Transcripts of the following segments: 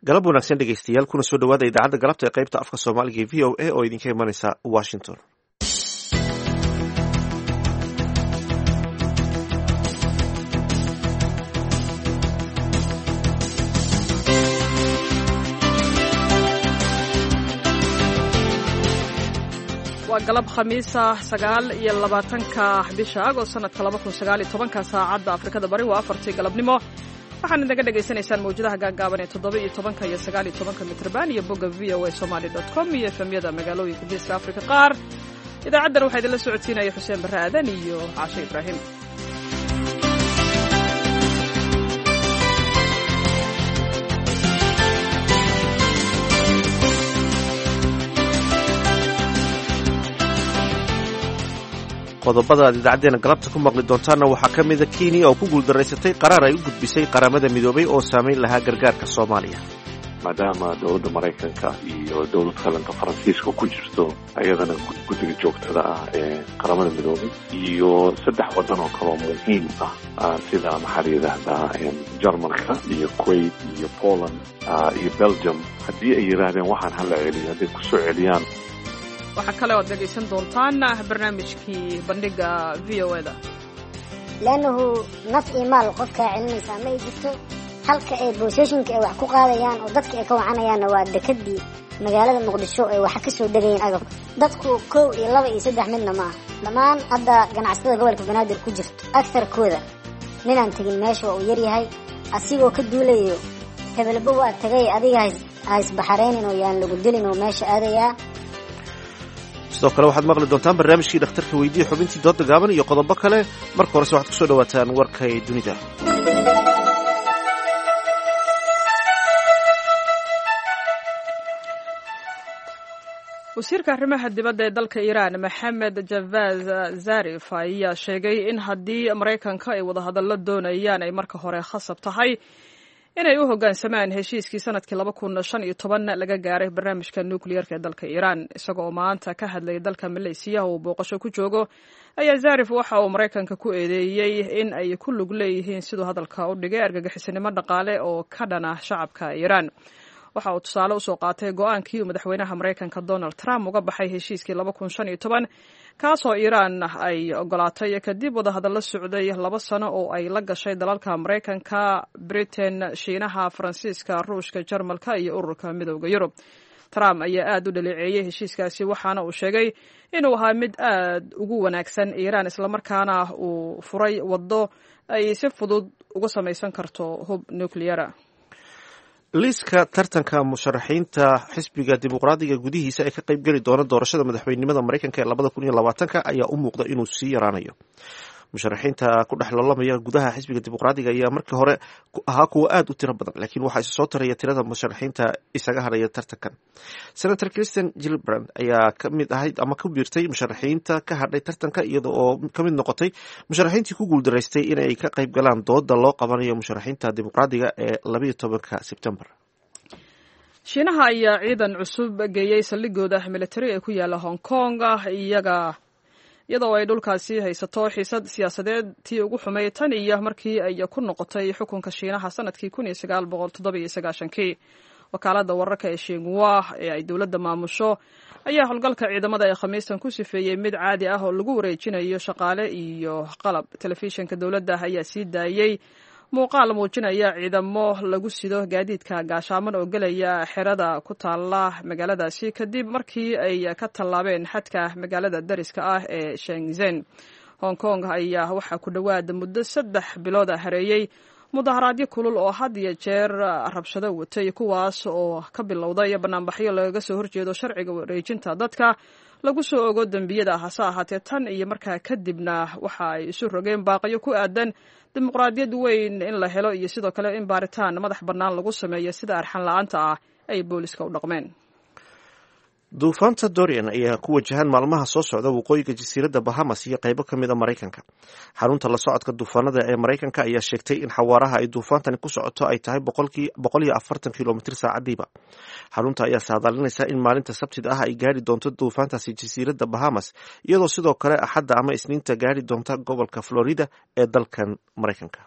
Galab wanaagsan dhegeystayaal, kuna soo dhawaada idaacadda galabta ee qaybta afka Soomaaliga ee VOA oo idinka imanaysa Washington. Waa galab Khamiisa, 29-ka bisha Agost sanadka 2019-ka. Saacadda Afrikada Bari waa 4-tii galabnimo. Waxaad inaga dhagaysanaysaan mawjadaha gaagaaban ee 17-ka iyo 19-ka mitrban iyo bogga voasomali.com iyo efemyada magaalooyinka Geeska Afrika qaar. Idaacaddan waxaa idinla socodsiinaya Xuseen Barre Aadan iyo Caashe Ibraahim. Qodobada aad idaacadeena galabta ku maqli doontaanna waxaa ka mida Kenya oo ku guuldaraysatay qaraar ay u gudbisay Qaramada Midoobay oo saamayn lahaa gargaarka Soomaaliya. Maadaama dowladda Maraykanka iyo dowlad kalenta Faransiiska ku jirto ayadana guddiga joogtada ah ee Qaramada Midoobay iyo saddex waddan oo kaloo muhiim ah, sida maxaa la yidhaahdaa, Jarmalka iyo Kuwait iyo Poland iyo Belgium, haddii ay yidhaahdeen waxaan hala celiyo, hadday kusoo celiyaan. Waxaa kale oad dhegaysan doontaan barnaamijkii bandhiga VOA-da. Leannahu naf iyo maal qofkaa celinaysaa ma ay jirto. Halka ay boosashinka ay wax ku qaadayaan oo dadka ay ka wacanayaanna waa dekadii magaalada Muqdisho ay waxa ka soo degayeen agabka. Dadku kow iyo laba iyo saddex midna ma aha. Dhammaan hadda ganacsatada gobolka Banaadir ku jirto agtarkooda ninaan tegin meesha waa uu yaryahay, asigoo ka duulayo hebelba waa tagay, adiga haisbaxaraynin oo yaan lagu dilin oo meesha aadayaa. Sidoo kale waxaad maqli doontaan barnaamijkii dhakhtarka weydiiya, xubintii dooda gaaban iyo qodobo kale. Marka horese waxaad kusoo dhawaataan warkay dunida. Wasiirka arrimaha dibadda ee dalka Iiraan, Maxamed Javad Zarif, ayaa sheegay in haddii Maraykanka ay wadahadallo doonayaan ay marka hore khasab tahay inay u hoggaansamaan heshiiskii sanadkii 2015 laga gaaray barnaamijka nukliyeerka ee dalka Iiraan. Isaga oo maanta ka hadlayay dalka Maleysiya uu booqasho ku joogo ayaa Zarif waxa uu Maraykanka ku eedeeyey in ay ku lug leeyihiin, siduu hadalka u dhigay, argagixisanimo dhaqaale oo ka dhan ah shacabka Iiraan. Waxa uu tusaale usoo qaatay go-aankii uu madaxweynaha Maraykanka Donald Trump uga baxay heshiiskii 2015, kaasoo Iiraan ay ogolaatay kadib wadahadallo socday 2 sano oo ay la gashay dalalka Maraykanka, Britain, Shiinaha, Faransiiska, Ruushka, Jarmalka iyo Ururka Midooda Yurub. Trump ayaa aad u dhaleeceeyey heshiiskaasi, waxaana uu sheegay inuu ahaa mid aad ugu wanaagsan Iiraan, islamarkaana uu furay waddo ay si fudud uga samaysan karto hub nucliyara. Liiska tartanka musharaxiinta xisbiga Dimuqraadiga gudihiisa ee ka qaybgeli doona doorashada madaxweynenimada Maraykanka ee 2020-ka ayaa u muuqda inuu sii yaraanayo. Musharaxiinta ku dhex loolamaya gudaha xisbiga Dimuqraadiga ayaa markii hore ahaa kuwa aad u tiro badan, laakiin waxaa isa soo taraya tirada musharaxiinta isaga hadhaya tartankan. Senator Kirsten Gillibrand ayaa ka mid ahayd ama ku biirtay musharaxiinta ka hadhay tartanka, iyada oo ka mid noqotay musharaxiintii ku guuldaraystay inay ka qayb galaan dooda loo qabanayo musharaxiinta Dimuqraadiga ee 12-ka Sebtembar. Shiinaha ayaa ciidan cusub geeyey saldhigooda militari ee ku yaala Hong Kong, iyaga iyadoo ay dhulkaasi haysato xiisad siyaasadeed tii ugu xumay tan iyo markii ay ku noqotay xukunka Shiinaha sanadkii 1997-kii. Wakaaladda wararka ee Shinwa ee ay dowladda maamusho ayaa howlgalka ciidamada ee Khamiistan ku sifeeyey mid caadi ah oo lagu wareejinayo shaqaale iyo qalab. Telefishinka dowladda ayaa sii daayey muuqaal muujinaya ciidamo lagu sido gaadiidka gaashaaman oo gelaya xerada ku taala magaaladaasi kadib markii ay ka tallaabeen xadka magaalada dariska ah ee Shenzhen. Hong Kong ayaa waxaa ku dhowaad muddo 3 bilood a hareeyey mudaharaadyo kulul oo had iyo jeer rabshado watay, kuwaas oo ka bilowday banaanbaxyo lagaga soo horjeedo sharciga wareejinta dadka lagu soo ogo dembiyada. Hase ahaatee, tan iyo markaa kadibna waxa ay isu rogeen baaqyo ku aadan dimuqraadiyad weyn in la helo iyo sidoo kale in baaritaan madax bannaan lagu sameeyo sida arxan la-aanta ah ay booliska u dhaqmeen. Duufaanta Dorian ayaa ku wajahan maalmaha soo socda waqooyiga jasiiradda Bahamas iyo qaybo ka mid a Maraykanka. Xarunta la socodka duufaanada ee Maraykanka ayaa sheegtay in xawaaraha ay duufaantani ku socoto ay tahay 140 kilomitir saacadiiba. Xarunta ayaa saadaalinaysa in maalinta Sabtida ah ay gaari doonto duufaantaasi jasiiradda Bahamas, iyadoo sidoo kale Axadda ama Isniinta gaari doonta gobolka Florida ee dalkan Maraykanka.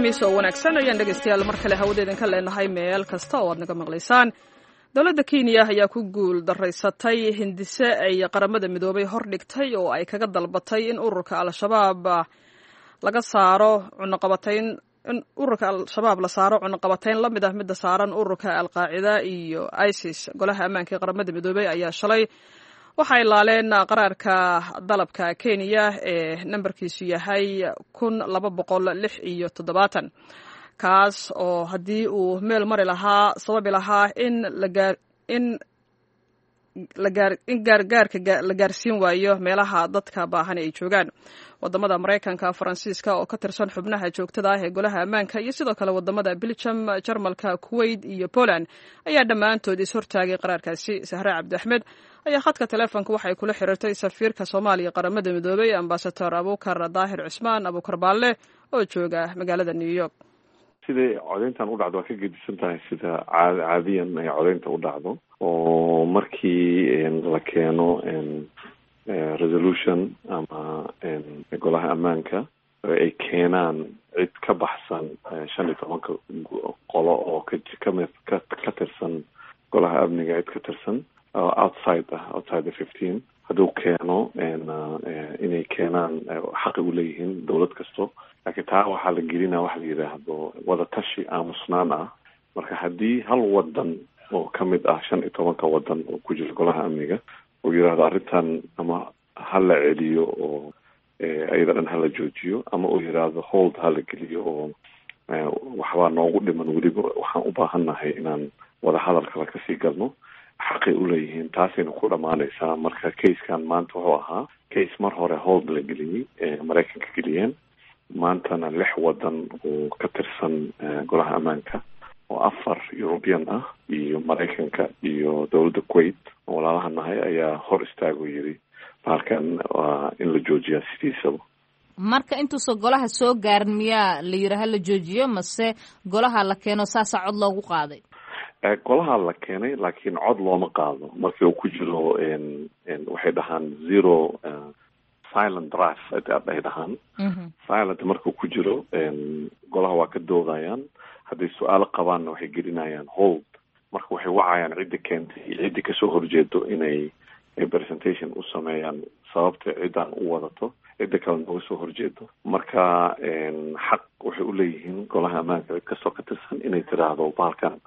Khamiis oo wanaagsan ayaan dhegaystayaal mar kale hawada idinka leenahay meel kasta oo aad naga maqlaysaan. Dowladda Kenya ayaa ku guul daraysatay hindise ay Qaramada Midoobay hordhigtay oo ay kaga dalbatay in ururka Al-Shabaab laga saaro cunaqabatayn, in ururka Al-Shabaab la saaro cunaqabatayn la mid ah midda saaran ururka Al-Qaacida iyo ISIS. Golaha Ammaanka ee Qaramada Midoobay ayaa shalay waxay laaleen qaraarka dalabka Kenya ee nambarkiisu yahay 1276, kaas oo haddii uu meel mari lahaa sababi lahaa in lagaar in lagaar in gaargaarka la gaarsiin waayo meelaha dadka baahan ay joogaan. Wadamada Maraykanka, Faransiiska oo ka tirsan xubnaha joogtada ah ee Golaha Ammaanka, iyo sidoo kale wadamada Belgium, Jarmalka, Kuwait iyo Poland ayaa dhammaantood is-hortaagay qaraarkaasi. Sahre Cabdi Axmed ayaa khadka taleefonka waxay kula xiriirtay safiirka Soomaaliya Qaramada Midoobay, Ambasador Abuukar Daahir Cusmaan Abuukar Baalle, oo jooga magaalada New York. Siday codeyntan u dhacdo waa ka gedisan tahay sida caadiyan ay codeynta u dhacdo, oo markii la keeno resolution ama Golaha Ammaanka ay keenaan cid ka baxsan 15-ka qolo oo kamid ka tirsan Golaha Amniga, cid ka tirsan outside ah, outside the 15, hadduu keeno, inay keenaan xaqi u leeyihiin dowlad kasto. Laakiin taa waxaa la gelinaa waxa la yidhaahdo wadatashi aamusnaan ah. Marka haddii hal wadan oo kamid ah 15-ka wadan oo ku jira Golaha Amniga uu yidhaahdo arrintan ama ha la celiyo oo iyada dhan hala joojiyo, ama uu yidhaahdo hold ha la geliyo oo waxbaa noogu dhiman, weliba waxaan u baahannahay inaan wadahadal kale kasii galno, xaqay uleeyihiin, taasayna ku dhamaanaysaa. Marka case-kan maanta wuxuu ahaa case mar hore hold la geliyey, Maraykanka geliyeen. Maantana lix wadan oo ka tirsan Golaha Ammaanka, oo afar European ah iyo Maraykanka iyo dowladda Kuwait oo walaalaha nahay, ayaa hor istaago yiri bahalkan waa in la joojiyaa sidiisaba. Marka intuusan golaha soo gaarin miyaa la yidhi hala joojiyo, mase golaha la keeno saasaa cod loogu qaaday? Golaha la keenay, laakiin cod looma qaado. Markii uu ku jiro waxay dhahaan zero silent draft ay dhahaan, silent markuu ku jiro golaha waa ka doodayaan. Hadday su-aalo qabaanna waxay gelinayaan hold. Marka waxay wacayaan cidda keentay iyo cidda kasoo horjeedo inay presentation u sameeyaan sababta ciddaan u wadato, cidda kale nooga soo horjeedo. Marka xaq waxay uleeyihiin Golaha Ammaanka cid kastoo ka tirsan inay tiraahdo bahalkan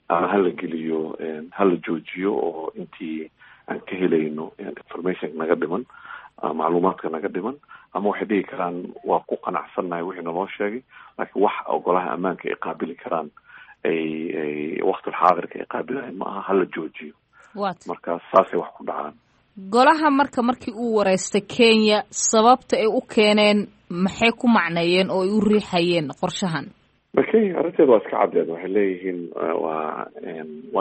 ama hala geliyo, hala joojiyo oo intii aan ka helayno information naga dhiman, macluumaadka naga dhiman, ama waxay dhihi karaan waa ku qanacsannahay wixii naloo sheegay, laakiin wax Golaha Ammaanka ay qaabili karaan ay ay waqtil xaadirka ay qaabilayan ma aha, hala joojiyo. Marka saasay wax ku dhacaan. Golaha marka markii uu wareystay Kenya, sababta ay u keeneen maxay ku macneeyeen oo ay u riixayeen qorshahan? Kenya arrinteeda waa iska caddeed. Waxay leeyihiin waa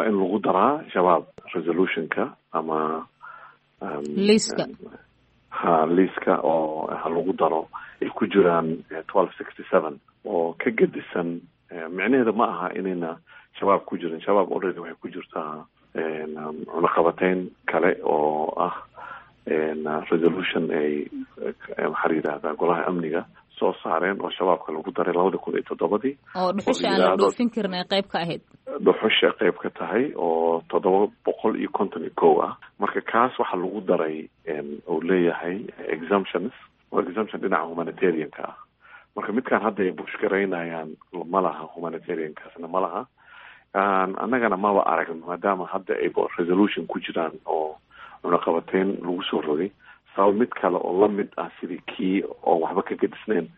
in lagu daraa Shabaab resolutionka ama liiska. Ha, liiska oo ha lagu daro ay ku jiraan 1267 oo ka gedisan. Micnaheeda ma aha inayna Shabaab ku jirin. Shabaab already waxay ku jirtaa cunaqabateyn kale oo ah resolution ay, maxaa la yidhahdaa, Golaha Amniga soo saareen oo Shabaabka lagu daray 2007-dii. Oo dhuxusha aan la dhoofin karin ay qayb ka ahayd. Dhuxusha qayb ka tahay oo 751 ah. Marka kaas waxaa lagu daray uu leeyahay exemptions oo exemption dhinaca humanitarianka ah. Marka midkaan hadda ay push garaynayaan ma laha humanitariankaasna ma laha. Annagana maba aragno, maadaama hadda ay resolution ku jiraan oo cunaqabateyn lagu soo rogay, sabab mid kale oo lamid ah sidii kii oo waxba ka gedisnayn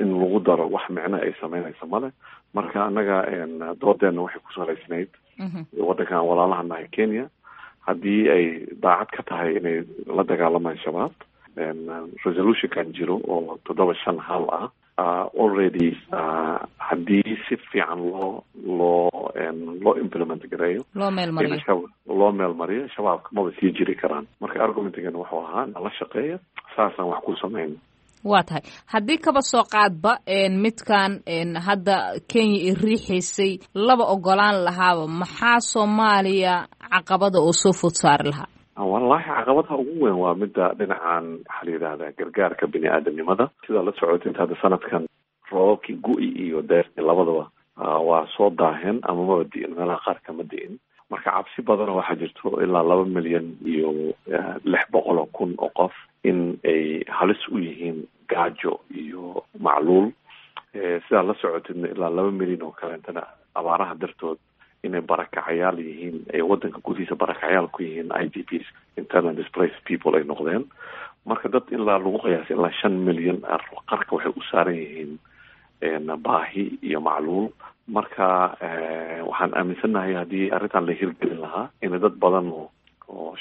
in lagu daro wax micno ay sameynaysa male. Marka annaga doodeena waxay ku salaysnayd waddankan walaalaha nahay Kenya, haddii ay daacad ka tahay inay la dagaalamaan Shabaab, resolutionkan jiro oo 751 ah already haddii si fiican loo implement gareeyo, loo meel mariyo, loo meel mariyo, Shabaabka maba sii jiri karaan. Marka argumentigan wuxuu ahaa nala shaqeeya, saasaan wax ku samayn. Waa tahay. Haddii kaba soo qaadba midkan hadda Kenya i riixaysay laba ogolaan lahaaba, maxaa Soomaaliya caqabada oo soo food saari lahaa? Wallahi caqabadaha ugu weyn waa midda dhinacan, waxaa la yidhahdaa, gargaarka bini aadamnimada. Sidaa la socotay inta hadda sanadkan Roobabkii gu-i iyo deertii labadaba waa soo daaheen ama maba di'in, meelaha qaar kama di'in. Marka cabsi badanoo waxaa jirto ilaa 2,600,000 oo qof in ay halis u yihiin gaajo iyo macluul. Sidaa la socotidna ilaa 2 milyan oo kaleentana abaaraha dartood inay barakacayaal yihiin, ay wadanka gudihiisa barakacayaal ku yihiin, IDPs, internal displaced people, ay noqdeen. Marka dad ilaa lagu qiyaasay ilaa 5 milyan qarka waxay u saaran yihiin baahi iyo macluul. Marka waxaan aaminsannahay haddii arrintan la hirgelin lahaa in dad badan oo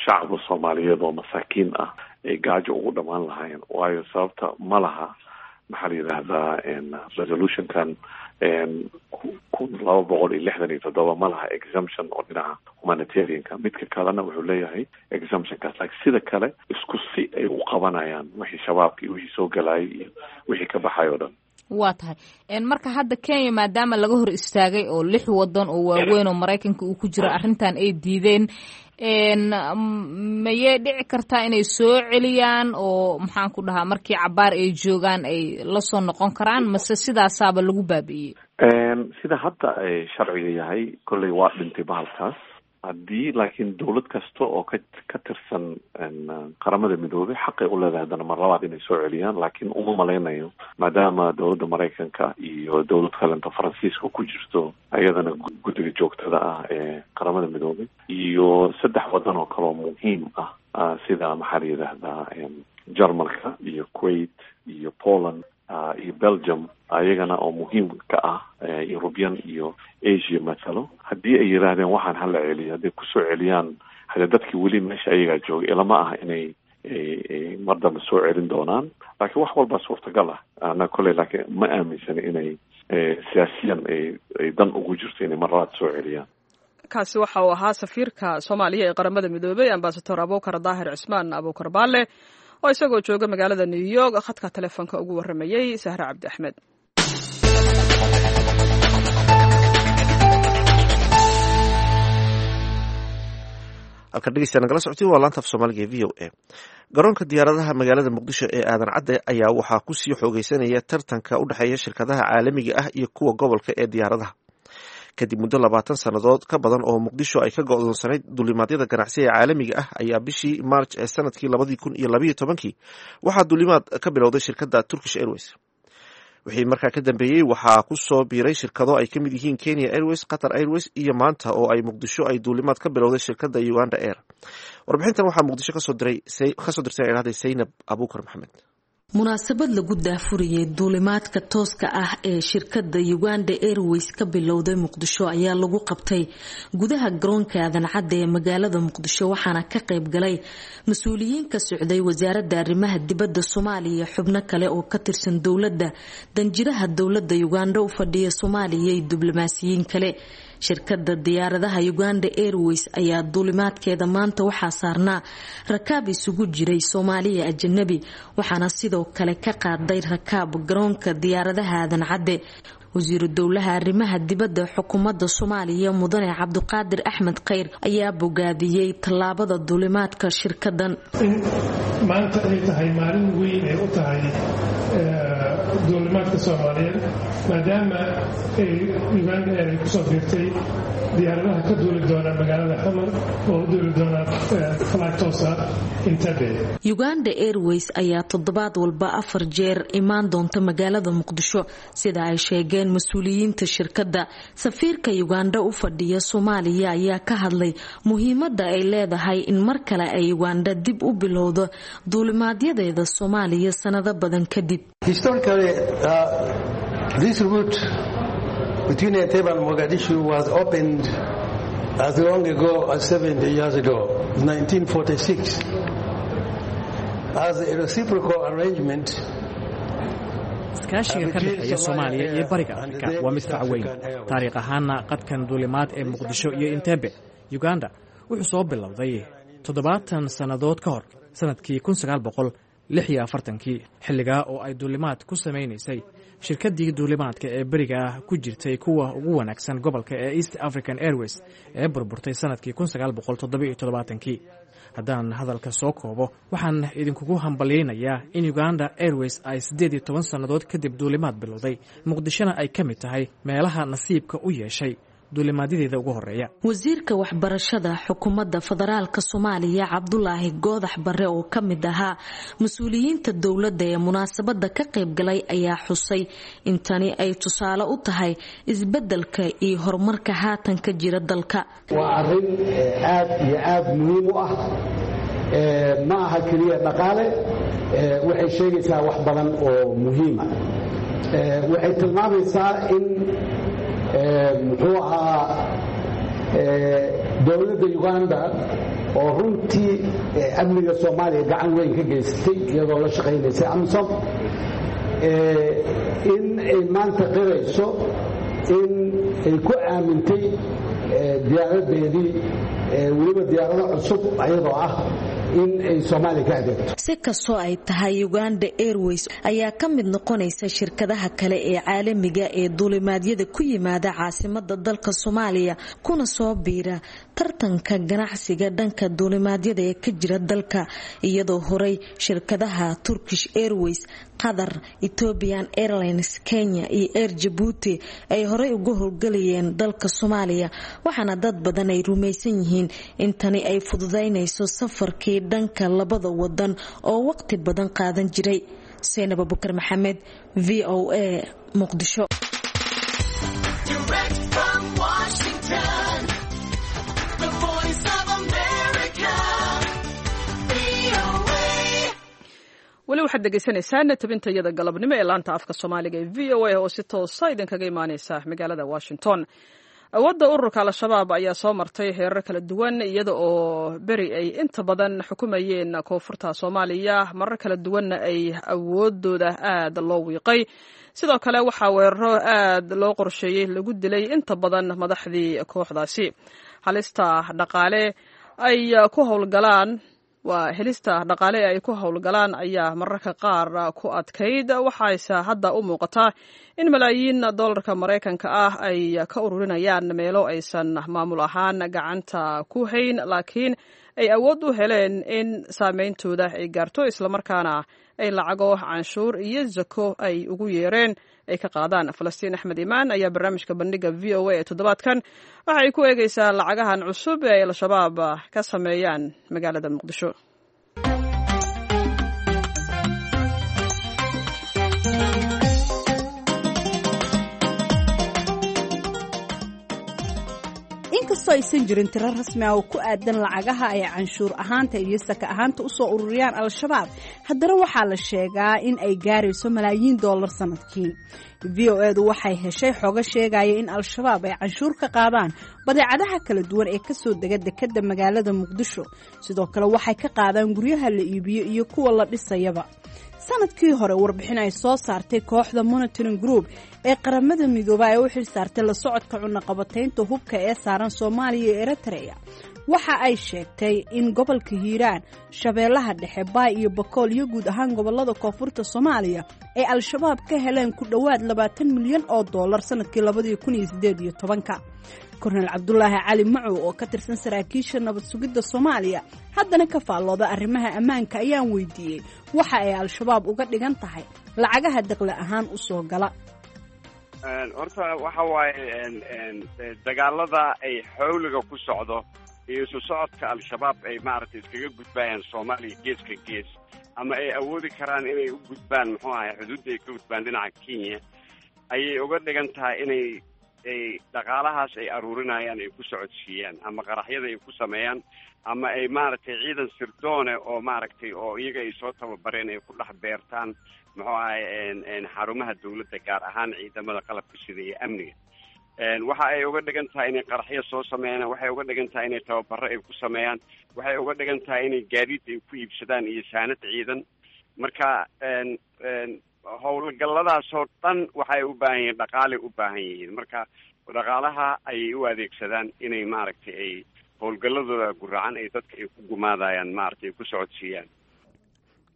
shacabka Soomaaliyeed oo masaakiin ah ay gaajo ugu dhamaan lahaayeen, waayo sababta ma laha, maxaa la yidhaahdaa, resolutionkan 1267 ma laha exemption oo dhinaca humanitarianka. Midka kalena wuxuu leeyahay exemptionkaas, laakiin sida kale isku si ay u qabanayaan wixii Shabaabka iyo wixii soo galayay iyo wixii ka baxay oo dhan. Waa tahay. Marka hadda Kenya maadaama laga hor istaagay oo lix wadan oo waaweyn oo Maraykanka uu ku jiro arrintan ay diideen, mayay dhici kartaa inay soo celiyaan oo, maxaan ku dhahaa, markii cabaar ay joogaan ay lasoo noqon karaan, mase sidaasaaba lagu baabi'iyey? Sida hadda ay sharciga yahay, kolley waa dhintay bahalkaas. Haddii laakiin dawlad kasta oo ka tirsan Qaramada Midoobay xaqay u leedahay haddana mar labaad inay soo celiyaan, laakiin uma malaynayo, maadaama dowladda Maraykanka iyo dowlad kalenta Faransiiska ku jirto ayadana guddiga joogtada ah ee Qaramada Midoobay, iyo saddex wadan oo kaleoo muhiim ah, sida, maxaa la yidhaahdaa, Jarmalka iyo Kuwait iyo Poland iyo Belgium, ayagana oo muhiim ka ah European iyo Asia mathalo, haddii ay yidhaahdeen waxaan hala celiyo, hadday kusoo celiyaan, hadee dadkii weli meesha ayagaa jooga, ilama ah inay mar dambe soo celin doonaan. Laakiin wax walbaa suurtagal ah ana kolley, laakiin ma aaminsani inay siyaasiyan ay dan ugu jirto inay mar labaad soo celiyaan. Kaasi waxa uu ahaa safiirka Soomaaliya ee Qaramada Midoobay, Ambasador Abuukar Daahir Cismaan Abuukar Baale, oo isagoo jooga magaalada New York khadka telefoonka ugu warramayey Sahre Cabdi Axmed. Halkan dhegeystayaa nagala socotiin waa laanta af Soomaaliga ee VOA. Garoonka diyaaradaha magaalada Muqdisho ee Aadan Cadde ayaa waxaa kusii xoogeysanaya tartanka u dhexeeya shirkadaha caalamiga ah iyo kuwa gobolka ee diyaaradaha, kadib muddo 20 sannadood ka badan oo Muqdisho ay ka go'doonsanayd duulimaadyada ganacsiga ee caalamiga ah. Ayaa bishii March ee sanadkii 2012-kii waxaa duulimaad ka bilowday shirkadda Turkish Airways. Wixii markaa ka dambeeyey waxaa ku soo biiray shirkado ay ka mid yihiin Kenya Airways, Qatar Airways iyo maanta oo ay Muqdisho ay duulimaad ka bilowday shirkadda Uganda Air. Warbixintan waxaa Muqdisho kasoo diray kasoo dirtay idhahday Saynab Abuukar Maxamed. Munaasabad lagu daahfuriyey duulimaadka tooska ah ee shirkadda Uganda Airways ka bilowday Muqdisho ayaa lagu qabtay gudaha garoonka Aadan Cadde ee magaalada Muqdisho, waxaana ka qayb galay mas-uuliyiin ka socday wasaaradda arrimaha dibadda Soomaaliya, xubno kale oo ka tirsan dowladda, danjiraha dowladda Uganda u fadhiya Soomaaliya iyo diblomaasiyiin kale. Shirkadda diyaaradaha Uganda Airways ayaa duulimaadkeeda maanta waxaa saarnaa rakaab isugu jiray Soomaaliya, ajanabi, waxaana sidoo kale ka qaaday rakaab garoonka diyaaradaha Aadan Cadde. Wasiiru dowlaha arrimaha dibadda xukuumadda Soomaaliya, mudane Cabdiqaadir Axmed Kheyr, ayaa bogaadiyey tallaabada duulimaadka shirkadan. In maanta ay tahay maalin weyn ay u tahay duulimaadka Soomaaliyeed, maadaama ay Uganda Air ay kusoo biirtay diyaaradaha ka duuli doona magaalada Xamar oo u duuli doona flight toosa Entebbe. Uganda Airways ayaa toddobaad walba afar jeer imaan doonta magaalada Muqdisho, sida ay sheegeen mas-uuliyiinta shirkadda. Safiirka Uganda u fadhiya Soomaaliya ayaa ka hadlay muhiimadda ay leedahay in mar kale ay Uganda dib u bilowdo duulimaadyadeeda Soomaaliya sanado badan kadib. Historically, this route between Entebbe and Mogadishu was opened as long ago as 70 years ago, 1946, as a reciprocal arrangement. Iskaashiga ka dhexeeya Soomaaliya iyo Bariga Afrika waa mid fac weyn. Taariikh ahaanna qadkan duulimaad ee Muqdisho iyo Entebbe, Uganda, wuxuu soo bilowday 70 sannadood ka hor, sannadkii 46-kii, xilligaa oo ay duulimaad ku samaynaysay shirkaddii duulimaadka ee beriga ah ku jirtay kuwa ugu wanaagsan gobolka ee East African Airways ee burburtay sannadkii 1977-kii. Haddaan hadalka soo koobo, waxaan idinkugu hambalyaynayaa in Uganda Airways ay 18 sannadood kadib duulimaad bilowday, Muqdishona ay ka mid tahay meelaha nasiibka u yeeshay duulimaadyadeeda ugu horeeya. Wasiirka waxbarashada xukuumadda federaalka Soomaaliya, Cabdulaahi Goodax Bare, oo ka mid ahaa mas-uuliyiinta dowladda ee munaasabada ka qaybgalay, ayaa xusay in tani ay tusaale u tahay isbeddelka iyo horumarka haatan ka jira dalka. Waa arrin aad iyo aad muhiim u ah. Ma aha keliya dhaqaale, waxay sheegaysaa wax badan oo muhiima. Waxay tilmaamaysaa in, muxuu ahaa, dowladda Uganda oo runtii amniga Soomaaliya gacan weyn ka geysatay iyadoo la shaqaynaysay AMISOM, in ay maanta qirayso in ay ku aamintay diyaaradeedii, weliba diyaarado cusub ayadoo ah, in ay Soomaaliya ka adeegto. Si kastoo ay tahay, Uganda Airways ayaa ka mid noqonaysa shirkadaha kale ee caalamiga ee duulimaadyada ku yimaada caasimada dalka Soomaaliya, kuna soo biira tartanka ganacsiga dhanka duulimaadyada ee ka jira dalka, iyadoo horey shirkadaha Turkish Airways, Qatar, Ethiopian Airlines, Kenya iyo Air Jabuuti ay horey uga howlgalayeen dalka Soomaaliya. Waxaana dad badan ay rumaysan yihiin in tani ay fududaynayso safarkii dhanka labada wadan oo waqti badan qaadan jiray. Seynab Abukar Maxamed, VOA, Muqdisho. Direct from Washington, the Voice of America, VOA. Weli waxaad dhegaysanaysaan tabintayada galabnimo ee laanta afka Soomaaliga ee VOA oo si toosa idinkaga imaaneysa magaalada Washington. Awoodda ururka Al-Shabaab ayaa soo martay heerar kala duwan, iyada oo beri ay inta badan xukumayeen koonfurta Soomaaliya, marar kala duwanna ay awoodooda aad loo wiiqay. Sidoo kale waxaa weeraro aad loo qorsheeyey lagu dilay inta badan madaxdii kooxdaasi. Halista dhaqaale ay ku howlgalaan, waa helista dhaqaale ee ay ku howlgalaan, ayaa mararka qaar ku adkayd. Waxayse hadda u muuqataa in malaayiin dollarka Maraykanka ah ay ka ururinayaan meelo aysan maamul ahaan gacanta ku hayn, laakiin ay awood u heleen in saameyntooda ay gaarto, islamarkaana ay lacago canshuur iyo zako ay ugu yeereen ay ka qaadaan. Falastiin Axmed Imaan ayaa barnaamijka Bandhiga VOA ee toddobaadkan waxa ay ku eegeysaa lacagahan cusub ee ay Al-Shabaab ka sameeyaan magaalada Muqdisho. Inkastoo aysan jirin tiro rasmi ah oo ku aadan lacagaha ay canshuur ahaanta iyo saka ahaanta usoo ururiyaan Al-Shabaab, haddana waxaa la sheegaa in ay gaarayso malaayiin dollar sanadkii. VOA-du waxay heshay xogo sheegaya in Al-Shabaab ay canshuur ka qaadaan badeecadaha kala duwan ee kasoo dega dekadda magaalada Muqdisho. Sidoo kale waxay ka qaadaan guryaha la iibiyo iyo kuwa la dhisayaba. Sanadkii hore, warbixin ay soo saartay kooxda Monitoring Group ee Qaramada Midooba ee u xil saartay la socodka cunaqabataynta hubka ee saaran Soomaaliya iyo Eritrea waxa ay sheegtay in gobolka Hiiraan, Shabeellaha Dhexe, Baay iyo Bakool iyo guud ahaan gobolada koonfurta Soomaaliya ay Al-Shabaab ka heleen ku dhowaad 20 milyan oo dollar sanadkii 2018-ka. Kornel Cabdulaahi Cali Macow oo ka tirsan saraakiisha nabad sugidda Soomaaliya, haddana ka faallooda arrimaha ammaanka, ayaan weydiiyey waxa ay Al-Shabaab uga dhigan tahay lacagaha daqli ahaan u soo gala. Horta waxa waaye, dagaalada ay xawliga ku socdo iyo isu socodka Al-Shabaab ay maaragtay iskaga gudbayaan Soomaaliya geeska gees, ama ay awoodi karaan inay u gudbaan, muxuu ahay, xuduudda ay ka gudbaan dhinaca Kenya, ayay uga dhigan tahay inay ay dhaqaalahaas ay aruurinayaan ay ku socodsiiyaan, ama qaraxyada ay ku sameeyaan, ama ay maaragtay ciidan sirdoone oo maaragtay oo iyaga ay soo tababareen ay ku dhex beertaan, muxuu ahay, xarumaha dawladda, gaar ahaan ciidamada qalabka sida iyo amniga. Waxa ay uga dhigan tahay inay qaraxyo soo sameeyaan, waxay uga dhigan tahay inay tababaro ay ku sameeyaan, waxay uga dhigan tahay inay gaadiid ay ku iibsadaan iyo saanad ciidan. Marka howlgalladaasoo dhan waxay u baahan yihiin dhaqaalay u baahan yihiin. Marka dhaqaalaha ayay u adeegsadaan inay maaragtay ay howlgalladooda guracan ay dadka ay ku gumaadayaan maaragtay ay ku socodsiiyaan.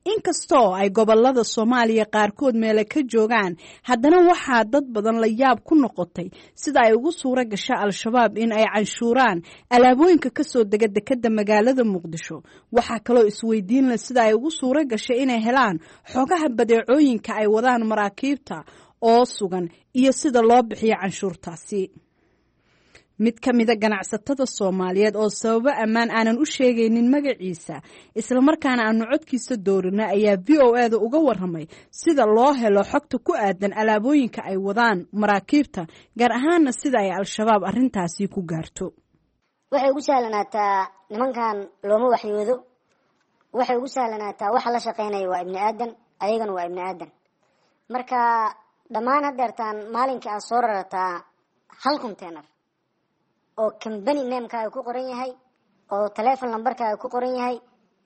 Inkastoo ay gobolada Soomaaliya qaarkood meele ka joogaan, haddana waxaa dad badan la yaab ku noqotay sida ay ugu suura gasha Al-Shabaab in ay canshuuraan alaabooyinka kasoo dega dekadda magaalada Muqdisho. Waxaa kaloo isweydiin leh sida ay ugu suura gashay inay helaan xogaha badeecooyinka ay wadaan maraakiibta oo sugan iyo sida loo bixiyo canshuurtaasi. Mid ka mida ganacsatada Soomaaliyeed oo sababo ammaan aanan u sheegaynin magaciisa, islamarkaana aanu codkiisa doorina, ayaa VOA-da uga waramay sida loo helo xogta ku aadan alaabooyinka ay wadaan maraakiibta, gaar ahaana sida ay Al-Shabaab arrintaasi ku gaarto. Waxay ugu sahlanaataa nimankan looma waxyoodo. Waxay ugu sahlanaataa waxa la shaqeynaya waa ibni aadan, ayagana waa ibni aadan. Marka dhammaan hadeertaan maalinkii aad soo rarataa hal container oo company namekaaga ku qoran yahay oo telefon lambarkaaga ku qoran yahay,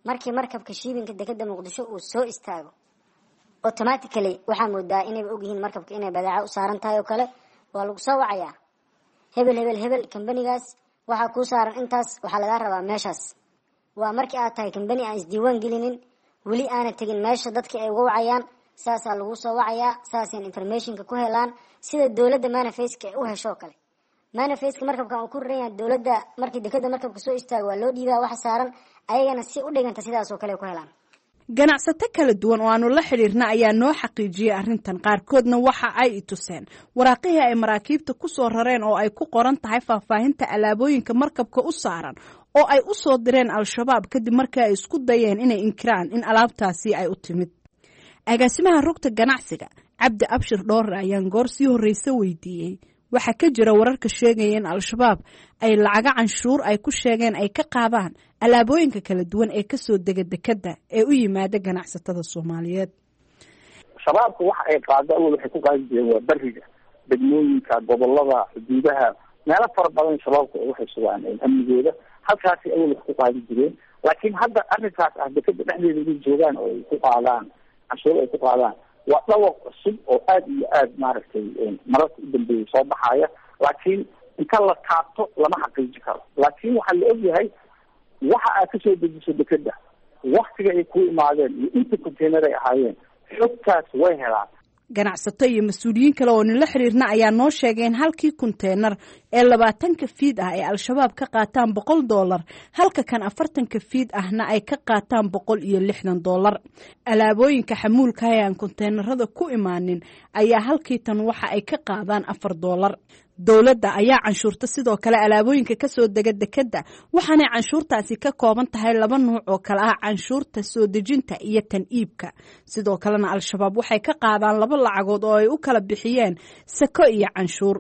markii markabka shippingka dekeda Muqdisho uu soo istaago, automatically waxaa moodaa inayba ogyihiin markabka inay badeeco u saaran tahay oo kale. Waa lagu soo wacayaa: hebel, hebel, hebel, kambanigaas waxaa kuu saaran intaas, waxaa lagaa rabaa meeshaas. Waa markii aad tahay kambani aan isdiiwaan gelinin, weli aana tegin meesha dadka ay uga wacayaan. Saasaa lagu soo wacayaa, saasayna informationka ku helaan, sida dowladda manifestka ay u hesho kale. Manifestka markabkan uu ku raran yahay dowladda, markii dekada markabka soo istaago, waa loo dhiibaa waxa saaran, ayagana si u dhiganta sidaas oo kale ku helaan. Ganacsato kala duwan oo aanu la xidhiirna ayaa noo xaqiijiyey arrintan. Qaarkoodna waxa ay i tuseen waraaqihii ay maraakiibta ku soo rareen oo ay ku qoran tahay faahfaahinta alaabooyinka markabka u saaran oo ay u soo direen Al-Shabaab kadib markii ay isku dayeen inay inkiraan in alaabtaasi ay u timid. Agaasimaha rugta ganacsiga, Cabdi Abshir Dhoore, ayaan goor sii horreyse weydiiyey waxaa ka jira wararka sheegaya in Al-Shabaab ay lacago canshuur ay ku sheegeen ay ka qaadaan alaabooyinka kala duwan ee kasoo dega dekadda ee u yimaada ganacsatada Soomaaliyeed. Shabaabka waxa ay qaado awal waxay ku qaadi jireen waa beriga, degmooyinka, gobolada, xuduudaha, meelo fara badan. Shabaabka waxay sugaan amnigooda, halkaasi awal wax ku qaadi jireen. Laakiin hadda arrinkaas ah dekada dhexdeeda inay joogaan oo ay ku qaadaan canshuur ay ku qaadaan waa dhawaq cusub oo aada iyo aada maaragtay mararka u dambeeyay soo baxaya. Laakiin inta la taabto lama xaqiiji karo. Laakiin waxaa la ogyahay waxa aad kasoo dejiso dekeda, waktiga ay ku imaadeen iyo inta container ay ahaayeen, xogtaas way helaan. Ganacsato iyo mas-uuliyiin kale oo nila xiriirna ayaa noo sheegay in halkii konteenar ee 20-ka feet ah ay Al-Shabaab ka qaataan $100, halka kan 40-ka feet ahna ay ka qaataan $160. Alaabooyinka xamuulka ee aan konteenarada ku imaanin ayaa halkii tan waxa ay ka qaadaan $4. Dowladda ayaa canshuurta sidoo kale alaabooyinka kasoo dega dekadda, waxaanay canshuurtaasi ka kooban tahay laba nuuc oo kale ah: canshuurta soo dejinta iyo tan iibka. Sidoo kalena Al-Shabaab waxay ka qaadaan laba lacagood oo ay u kala bixiyeen sako iyo canshuur.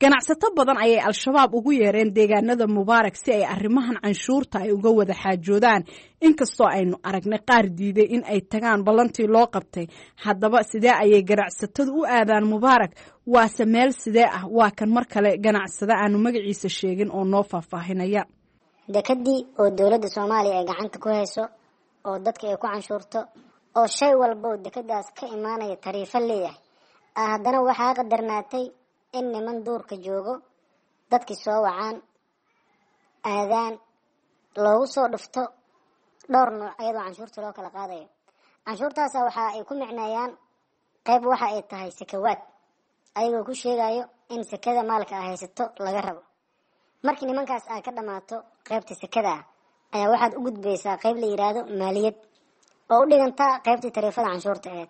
Ganacsato badan ayay Al-Shabaab ugu yeereen deegaanada Mubaarak si ay arrimahan canshuurta ay uga wada xaajoodaan, inkastoo aynu aragnay qaar diiday in ay tagaan ballantii loo qabtay. Haddaba sidee ayay ganacsatadu u aadaan Mubaarak? Waase meel sidee ah? Waa kan mar kale ganacsade aanu magaciisa sheegin oo noo faahfaahinaya. Dekadii oo dowladda Soomaaliya ay gacanta ku hayso oo dadka ay ku canshuurto oo shay walba oo dekadaas ka imaanaya tariifo leeyahay, haddana waxaa qadarnaatay in niman duurka joogo dadkii soo wacaan, aadaan, loogu soo dhufto dhowr nuuc ayadoo canshuurta loo kala qaadayo. Canshuurtaasa waxa ay ku micneeyaan qayb waxa ay tahay sakawaad, ayagoo ku sheegayo in sakada maalka a haysato laga rabo. Markii nimankaas aad ka dhammaato qaybta sakada ah, ayaa waxaad u gudbaysaa qayb la yiraahdo maaliyad oo u dhigantaa qaybtii tariifada canshuurta aheyd.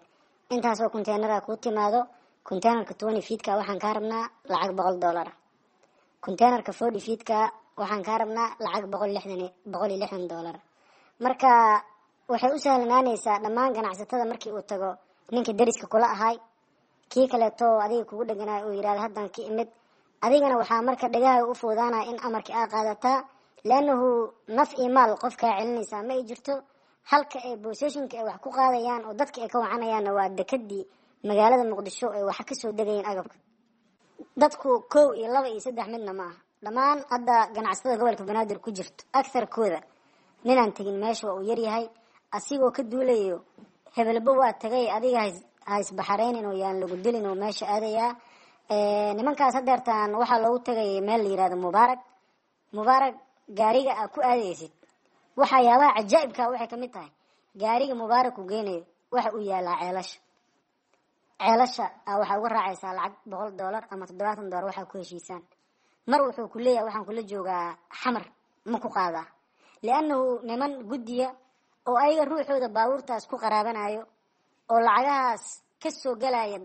Intaasoo konteenara kuu timaado, containerka 20 feetka waxaan kaa rabnaa lacag $100, containerka 40 feetka waxaan kaa rabnaa lacag $160. Marka waxay u sahlanaanaysaa dhammaan ganacsatada markii uu tago ninka deriska kula ahay, kii kaleeto adiga kugu dheganaay uu yirahdo haddaan ka imid, adigana waxaa marka dhagaha u fuudaanaya in amarkii aa qaadataa, liannahu naf iyo maal qof kaa celinaysaa ma ay jirto. Halka ay boseshinka ay wax ku qaadayaan oo dadka ay ka wacanayaanna waa dekadii magaalada Muqdisho ay waxa kasoo degayeen agabka. Dadku kow iyo laba iyo saddex midna ma aha. Dhammaan hadda ganacsatada gobolka Banaadir ku jirto agtarkooda ninaan tegin meesha waa uu yaryahay, asigoo ka duulayo hebelba waa tagay, adiga ha isbaxareynin oo yaan lagu dilin oo meesha aadayaa. Nimankaas hadeertaan waxaa loogu tagayay meel la yirahdo Mubaarak. Mubaarak gaariga aa ku aadaysid, waxyaabaha cajaa'ibka waxay kamid tahay Gaariga Mubaarak uu geynayo waxa uu yaalaa Ceelasha. Ceelasha waxaa uga raacaysaa lacag $100 ama $70 waxaa ku heshiisaan. Mar wuxuu ku leeyahay waxaan kula joogaa Xamar, ma ku qaadaa? Liannahu niman guddiya oo ayaga ruuxooda baabuurtaas ku qaraabanayo oo lacagahaas ka soo galaya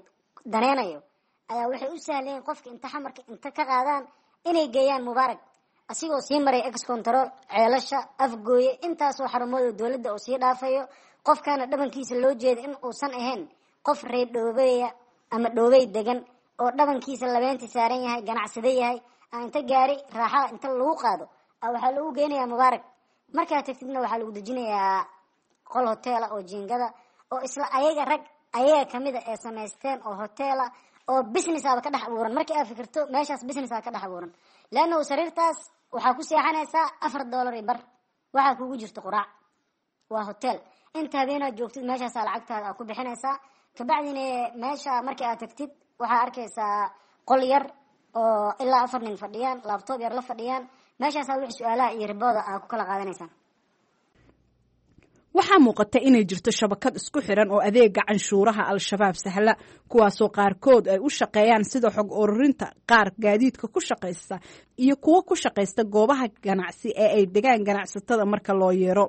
daneynayo ayaa waxay u sahlayeen qofka inta Xamarka inta ka qaadaan inay geeyaan Mubaarak, asigoo sii maray ex control Ceelasha, Afgooye, intaasoo xarumood oo dowladda oo sii dhaafayo. Qofkana dhabankiisa loo jeeda in uusan ahayn qof reer Dhoobeya ama Dhoobey degan oo dhabankiisa labeenta saaran yahay, ganacsade yahay, inta gaari raaxada inta lagu qaado waxaa lagu geynayaa Mubaarak. Markaa tagtidna waxaa lagu dejinayaa qol hoteela oo jiingada oo isla ayaga rag ayaga kamida ee samaysteen oo hoteela oo business aba ka dhex abuuran. Markii aad fikirto meeshaas business aa ka dhex abuuran, leannahu sariirtaas waxaa ku seexanaysaa $4.50, waxaa kugu jirta quraac. Waa hotel inta habeenaad joogtid meeshaasaa lacagtaada aad ku bixinaysaa. Kabacdina meesha markii aad tagtid waxaa arkaysaa qol yar oo ilaa 4 nin fadhiyaan, laptop yar la fadhiyaan. Meeshaasaa wixii su-aalaha iyo ribooda aad ku kala qaadanaysaan. Waxaa muuqata inay jirto shabakad isku xiran oo adeega canshuuraha Al-Shabaab sahla, kuwaasoo qaarkood ay u shaqeeyaan sida xog ururinta, qaar gaadiidka ku shaqaysta iyo kuwo ku shaqaysta goobaha ganacsi ee ay degaan ganacsatada marka loo yeero.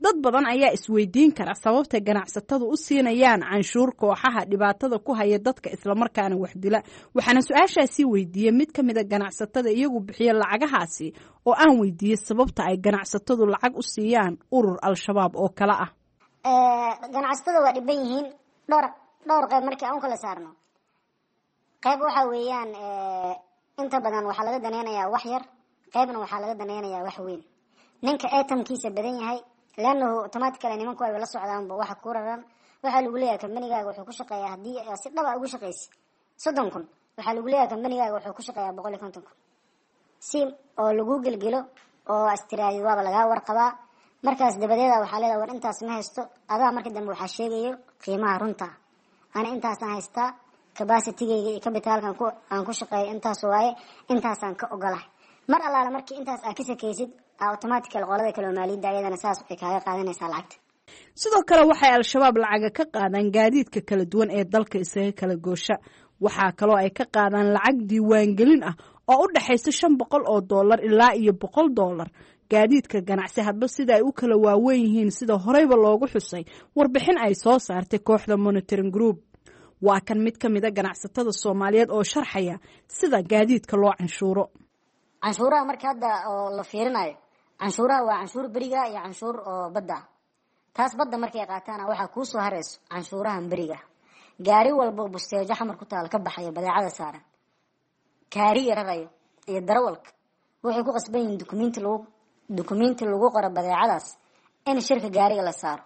Dad badan ayaa isweydiin kara sababta ganacsatadu u siinayaan canshuur kooxaha dhibaatada ku haya dadka islamarkaana wax dila. Waxaana su-aashaasi weydiiyey mid ka mida ganacsatada iyagu bixiya lacagahaasi oo aan weydiiyey sababta ay ganacsatadu lacag u siiyaan urur Al-Shabaab oo kale ah. Ganacsatada waa dhiban yihiin dhowr qayb markii aan u kala saarno. Qayb waxa weeyaan inta badan waxaa laga daneynayaa wax yar, qaybna waxaa laga daneynayaa wax weyn. Ninka atamkiisa badan yahay, leannahu automatically nimanku ay la socdaanba waxa ku raran. Waxaa lagu leeyahay kambanigaaga wuxuu ku shaqeeyaa, haddii si dhaba ugu shaqeysi 30,000, waxaa lagu leeyahay kambanigaaga wuxuu ku shaqeeyaa 150,000, si oo lagu gelgelo oo astiraadi waaba lagaa warqabaa. Markaas dabadeeda waxaa leedahay war intaas ma haysto adaa. Marka dambe waxaa sheegayo qiimaha runta, ana intaasaan haystaa, capacitigayga iyo capitalkan aan ku shaqeeyo intaas waaye, intaasaan ka ogolahay. Mar allaala markii intaas aad ka sakaysid, automatically qolada kale oo maaliyadda ayadana saas ay kaaga qaadanaysaa lacagta. Sidoo kale waxay Al-Shabaab lacaga ka qaadaan gaadiidka kala duwan ee dalka isaga kala goosha. Waxaa kaloo ay ka qaadaan lacag diiwaangelin ah oo u dhexaysa $500 ilaa iyo $100 gaadiidka ganacsi, hadba sida ay u kala waaweyn yihiin, sida horeyba loogu xusay warbixin ay soo saartay kooxda Monitoring Group. Waa kan mid ka mida ganacsatada Soomaaliyeed oo sharxaya sida gaadiidka loo canshuuro. Canshuuraha marka hadda oo la fiirinayo, canshuuraha waa canshuur beriga iyo canshuur oo badda ah. Taas badda markay qaataana waxaa kuu soo harayso canshuurahan beriga. Gaari walba busteejo Xamar ku taal ka baxayo, badeecada saaran, kaariga rarayo iyo darawalka waxay ku qasban yihiin dukumenti lagu qoro badeecadaas in shirka gaariga la saaro,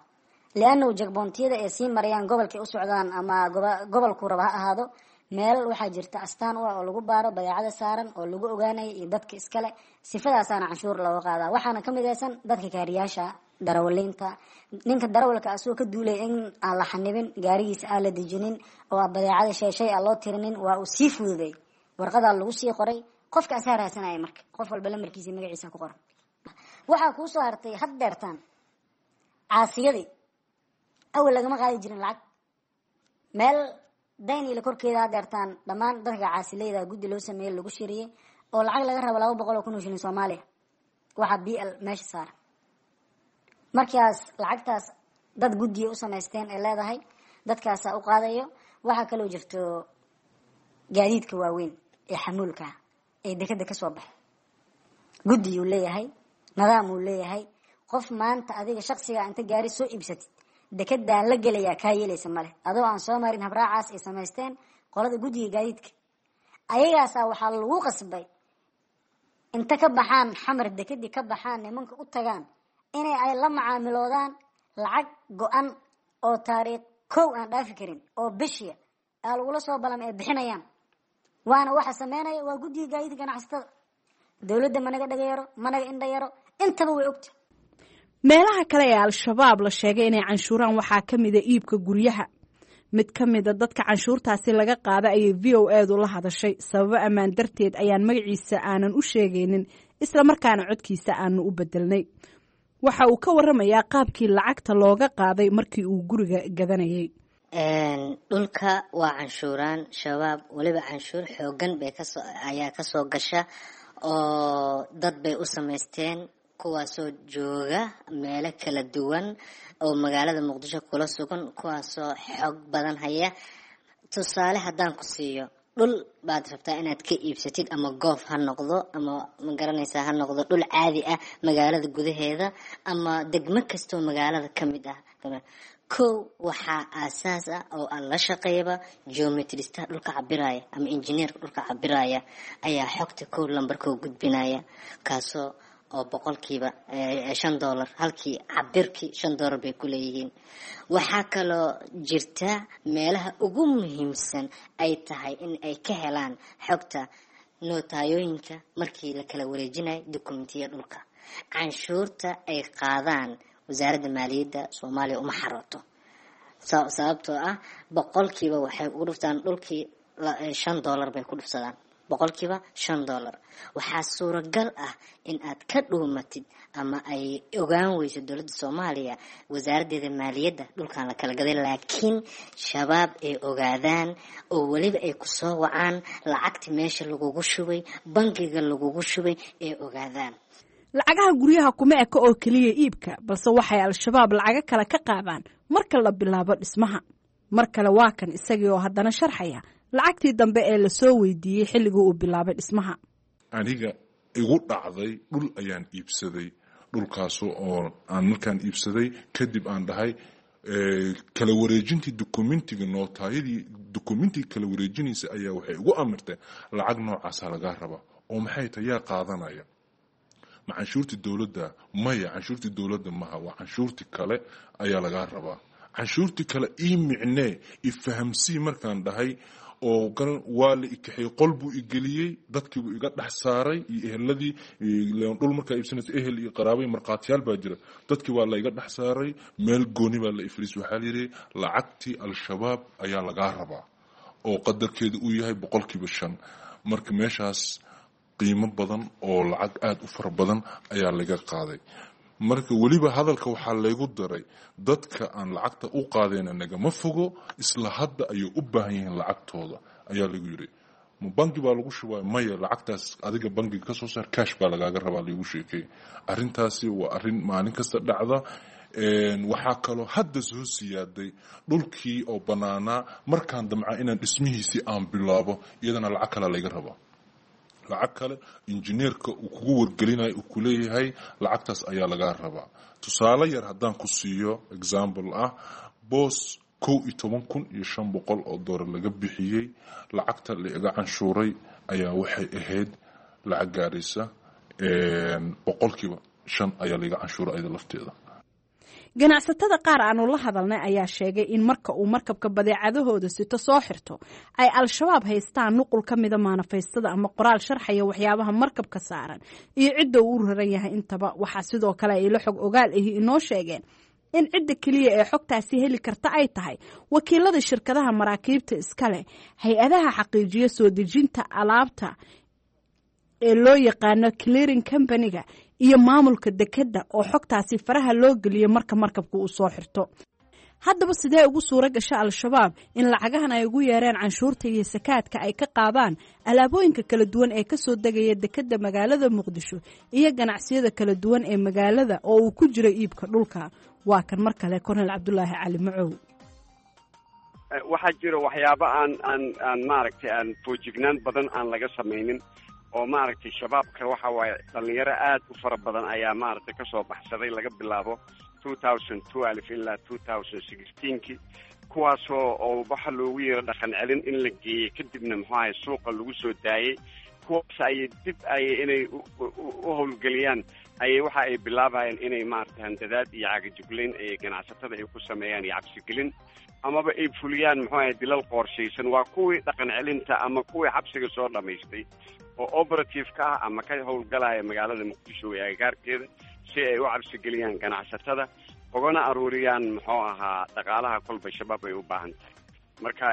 liannahu jagboontiyada ay sii marayaan gobolkay u socdaan ama gobolkuu raba ha ahaado, meel waxaa jirta astaan u ah oo lagu baaro badeecada saaran oo lagu ogaanayo iyo dadka iskale. Sifadaasaana canshuur looga qaadaa. Waxaana ka midaysan dadka kaariyaasha, darawaliinta. Ninka darawalka asagoo ka duulaya in aan la xanibin gaarigiisa, aan la dejinin oo badeecada shay aan loo tirinin, waa uu sii fududay, warqadaa lagu sii qoray, qofka asaa raadsanaya. Marka qof walba lamarkiisa, magaciisa ku qoran. Waxaa kuu soo hartay had deertaan caasiyadii. Awal lagama qaadi jirin lacag meel Dayniile korkeeda. Hadeertaan dhammaan dadka caasileyda guddi loo sameeyey lagu shiriyey oo lacag laga rabo 200,000 oo shilin Soomaaliya, waxaa BL meesha saaran. Markaas lacagtaas dad guddiya u samaysteen ay leedahay, dadkaasaa u qaadayo. Waxaa kaloo jirto gaadiidka waaweyn ee xamuulka ee dekeda kasoo baxay, guddiyuu leeyahay, nidaam uu leeyahay. Qof maanta adiga shaksiga inta gaari soo iibsatid dekedaan la gelayaa kaa yeelaysa male, adoo aan soo marin habraacaas ay samaysteen qolada guddiga gaadiidka. Ayagaasaa waxaa lagu qasbay inta ka baxaan Xamar, dekedii ka baxaan, nimanka u tagaan inay ay la macaamiloodaan lacag go-an oo taariikh kow aan dhaafi karin oo bishiya aa lagula soo balam ay bixinayaan. Waana waxa sameynaya waa guddiga gaadiidka ganacsatada. Dowladda managa dhaga yaro, managa indha yaro, intaba way ogta. Meelaha kale ee Al-Shabaab la sheegay inay canshuuraan waxaa ka mida iibka guryaha. Mid ka mida dadka canshuurtaasi laga qaada ayay VOA-du la hadashay. Sababo ammaan darteed ayaan magaciisa aanan u sheegaynin, islamarkaana codkiisa aanu u bedelnay. Waxa uu ka waramayaa qaabkii lacagta looga qaaday markii uu guriga gadanayay. Dhulka waa canshuuraan Shabaab, weliba canshuur xoogan bay kasoo ayaa kasoo gasha oo dad bay u samaysteen, kuwaasoo jooga meelo kala duwan oo magaalada Muqdisho kula sugan, kuwaasoo xoog badan haya. Tusaale haddaan ku siiyo, dhul baad rabtaa inaad ka iibsatid, ama goof ha noqdo ama magaranaysaa ha noqdo dhul caadi ah magaalada gudaheeda ama degmo kastoo magaalada ka mid ah. Kow, waxaa aasaas ah oo aan la shaqeeyaba geometristaha dhulka cabiraya ama injineerka dhulka cabiraya ayaa xogta kow lambarkoo gudbinaya, kaasoo oo boqolkiiba $5, halkii cabirkii $5 bay ku leeyihiin. Waxaa kaloo jirta meelaha ugu muhiimsan ay tahay in ay ka helaan xogta nootayooyinka markii la kala wareejinayo dukumentiya dhulka. Canshuurta ay qaadaan wasaaradda maaliyadda Soomaaliya uma xarooto, sababtoo ah boqolkiiba waxay ugu dhuftaan dhulkii $5 bay ku dhufsadaan, boqolkiiba $5. Waxaa suuragal ah in aad ka dhuumatid ama ay ogaan weyso dowladda Soomaaliya wasaaraddeeda maaliyadda dhulkan la kala gaday, laakiin Shabaab ay ogaadaan oo weliba ay kusoo wacaan, lacagta meesha lagugu shubay, bangiga lagugu shubay ay ogaadaan. Lacagaha guryaha kuma eka oo keliya iibka, balse waxay Al-Shabaab lacago kale ka qaadaan marka la bilaabo dhismaha. Mar kale waa kan isagii oo haddana sharxaya lacagtii dambe ee lasoo weydiiyey xilligii uu bilaabay dhismaha. Aniga igu dhacday, dhul ayaan iibsaday, dhulkaas oo aan markaan iibsaday kadib aan dhahay kala wareejintii dukumentiga, nootaayadii dukumentiga kala wareejinaysa ayaa waxay igu amirtay lacag noocaasa lagaa rabaa. Oo maxay tahay? Yaa qaadanaya? Ma canshuurtii dowladda? Maya, canshuurtii dowladda maha, waa canshuurtii kale ayaa lagaa rabaa. Canshuurtii kale ii micnee, ifahamsii markaan dhahay oo waa la ikaxeeyey, qol buu igeliyey, dadkiibuu iga dhex saaray iyo eheladii. Dhul markaa iibsanaysa ehel iyo qaraabay markhaatiyaal baa jira. Dadkii waa la iga dhex saaray, meel gooni baa la ifriis. Waxaa la yidhi lacagtii Al-Shabaab ayaa lagaa rabaa oo qadarkeedu uu yahay 5%. Marka meeshaas qiimo badan oo lacag aada u fara badan ayaa laga qaaday. Marka weliba hadalka waxaa laygu daray, dadka aan lacagta u qaadayna nagama fogo, isla hadda ayay u baahan yihiin lacagtooda ayaa lagu yiri. Ma bangi baa lagu shubaa? Maya, lacagtaas adiga bangiga kasoo saar, cash baa lagaaga rabaa, laygu sheekay. Arrintaasi waa arrin maalin kasta dhacda. Waxaa kaloo hadda soo siyaaday dhulkii oo bannaanaa markaan damca inaan dhismihiisii aan bilaabo, iyadana lacag kale layga rabaa, lacag kale injineerka uu kugu wargelinayo uu kuleeyahay lacagtaas ayaa lagaa rabaa. Tusaale yar haddaan ku siiyo, example ah, boos $11,500 laga bixiyey, lacagta la iga canshuuray ayaa waxay ahayd lacag gaaraysa 5% ayaa laiga canshuuray ayada lafteeda. Ganacsatada qaar aanu la hadalnay ayaa sheegay in marka uu markabka badeecadahooda sito soo xirto ay Al-Shabaab haystaan nuqul ka mida maanafaystada ama qoraal sharxaya waxyaabaha markabka saaran iyo cidda uu u raran yahay intaba. Waxaa sidoo kale ay la xog ogaal ahi inoo sheegeen in cidda keliya ee xogtaasi heli karta ay tahay wakiilada shirkadaha maraakiibta iska leh, hay-adaha xaqiijiya soo dejinta alaabta ee loo yaqaano clearing company-ga iyo maamulka dekedda oo xogtaasi faraha loo geliyo marka markabka uu soo xirto. Haddaba sidee ugu suura gasha Al-Shabaab in lacagahan ay ugu yeereen canshuurta iyo sakaadka ay ka qaadaan alaabooyinka kala duwan ee kasoo degaya dekedda magaalada Muqdisho iyo ganacsiyada kala duwan ee magaalada oo uu ku jiro iibka dhulka? Waa kan mar kale Kornel Cabdulaahi Cali Macow. Waxaa jira waxyaabo aan maaragtay aan foojignaan badan aan laga samaynin oo maaragtay Shabaabka waxa waaye dhalinyaro aad u fara badan ayaa maaragtay kasoo baxsaday laga bilaabo 2012 ilaa 2016-kii, kuwaasoo oo waxa loogu yeero dhaqan celin in la geeyey, kadibna muxuu ahay suuqa lagu soo daayey. Kuwaas ayay dib ayay inay u howlgeliyaan ayay waxa ay bilaabayaan inay maaragtay handadaad iyo cagajuglayn ay ganacsatada ay ku sameeyaan iyo cabsigelin, amaba ay fuliyaan muxuu ahay dilal qorshaysan. Waa kuwii dhaqan celinta ama kuwii xabsiga soo dhamaystay oo operative ka ah ama ka howlgalaya magaalada Muqdisho ee agagaarkeeda, si ay u cabsigeliyaan ganacsatada ugana aruuriyaan muxuu ahaa dhaqaalaha kolba Shabaab ay u baahan tahay. Marka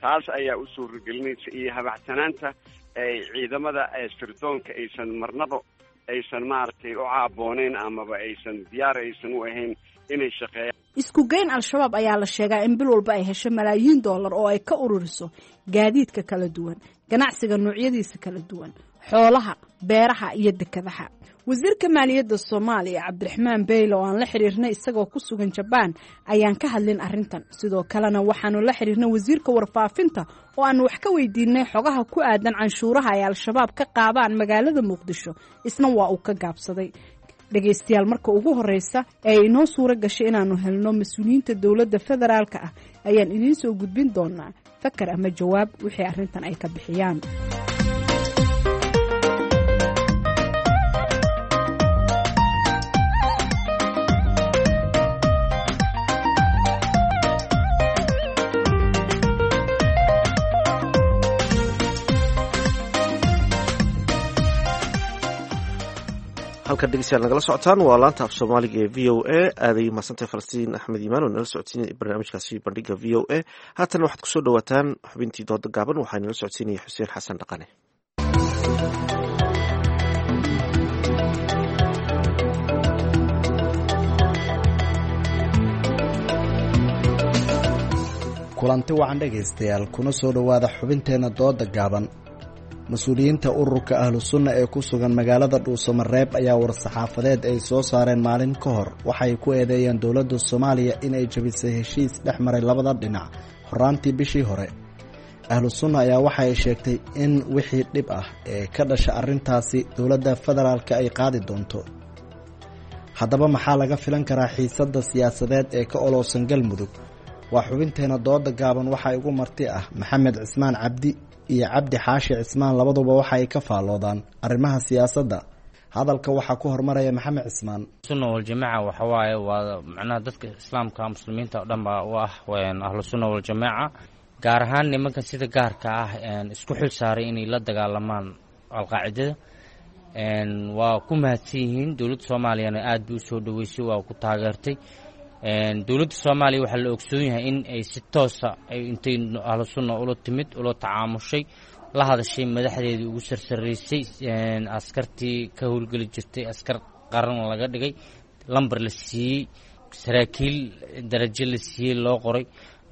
taas ayaa u suuragelinaysa iyo habacsanaanta ay ciidamada sirdoonka aysan marnaba Aysan maaragtay u caabooneyn amaba aysan diyaar aysan u ahayn inay shaqeeyaan. Isku geyn, Al-Shabaab ayaa la sheegaa in bil walba ay hesho malaayiin dollar oo ay ka ururiso gaadiidka kala duwan, ganacsiga noocyadiisa kala duwan, xoolaha, beeraha iyo dekadaha. Wasiirka maaliyadda Soomaaliya, Cabdiraxmaan Beyle, oo aan la xiriirnay isagoo ku sugan Jabaan, ayaan ka hadlin arrintan. Sidoo kalena waxaanu la xiriirnay wasiirka warfaafinta oo aanu wax ka weydiinay xogaha ku aadan canshuuraha ay Al-Shabaab ka qaadaan magaalada Muqdisho, isna waa uu ka gaabsaday. Dhegaystayaal, marka ugu horeysa ee ay inoo suuro gashay inaannu helno mas-uuliyiinta dowladda federaalka ah ayaan idiin soo gudbin doonaa fakar ama jawaab wixii arrintan ay ka bixiyaan. Halkan dhegeystayaal nagala socotaan waa laanta af Soomaaliga ee VOA. Aaday mahadsantahay Falastiin Axmed Iimaan oo nala socodsiinaya barnaamijkaasi bandhiga VOA. Haatan waxaad kusoo dhawaataan xubintii dooda gaaban. Waxaa nala socodsiinaya Xuseen Xasan Dhaqane. Kulanti wacan dhegaystayaal, kuna soo dhowaada xubinteenna dooda gaaban. Mas-uuliyiinta ururka Ahlu Sunna ee ku sugan magaalada Dhuusamareeb ayaa war-saxaafadeed ay soo saareen maalin ka hor waxay ku eedeeyeen dowladda Soomaaliya inay jabisay heshiis dhex maray labada dhinac horaantii bishii hore. Ahlu Sunna ayaa waxa ay sheegtay in wixii dhib ah ee ka dhasha arrintaasi dowladda federaalka ay qaadi doonto. Haddaba maxaa laga filan karaa xiisadda siyaasadeed ee ka olowsan Galmudug? Waa xubinteena dooda gaaban. Waxaa igu marti ah Maxamed Cismaan Cabdi iyo Cabdi Xaashi Cismaan. Labaduba waxa ay ka faalloodaan arrimaha siyaasadda. Hadalka waxaa ku hormaraya Maxamed Cismaan. Sunna waljamaaca waxa waaye waa macnaha dadka islaamka, muslimiinta oo dhan baa u ah Ahlu Sunna waljamaaca, gaar ahaan nimankan sida gaarka ah isku xil saaray inay la dagaalamaan Alqaacidada. Waa ku mahadsan yihiin. Dowladda Soomaaliyana aad bay usoo dhaweysay, waa ku taageertay. Dowladda Soomaaliya waxaa la ogsoon yahay in ay si toosa ay intay Ahlu Sunna ula timid, ula tacaamushay, la hadashay madaxdeedii ugu sarsaraysay, askartii ka howlgeli jirtay askar qaran laga dhigay, lambar la siiyey, saraakiil darajo la siiyey, loo qoray,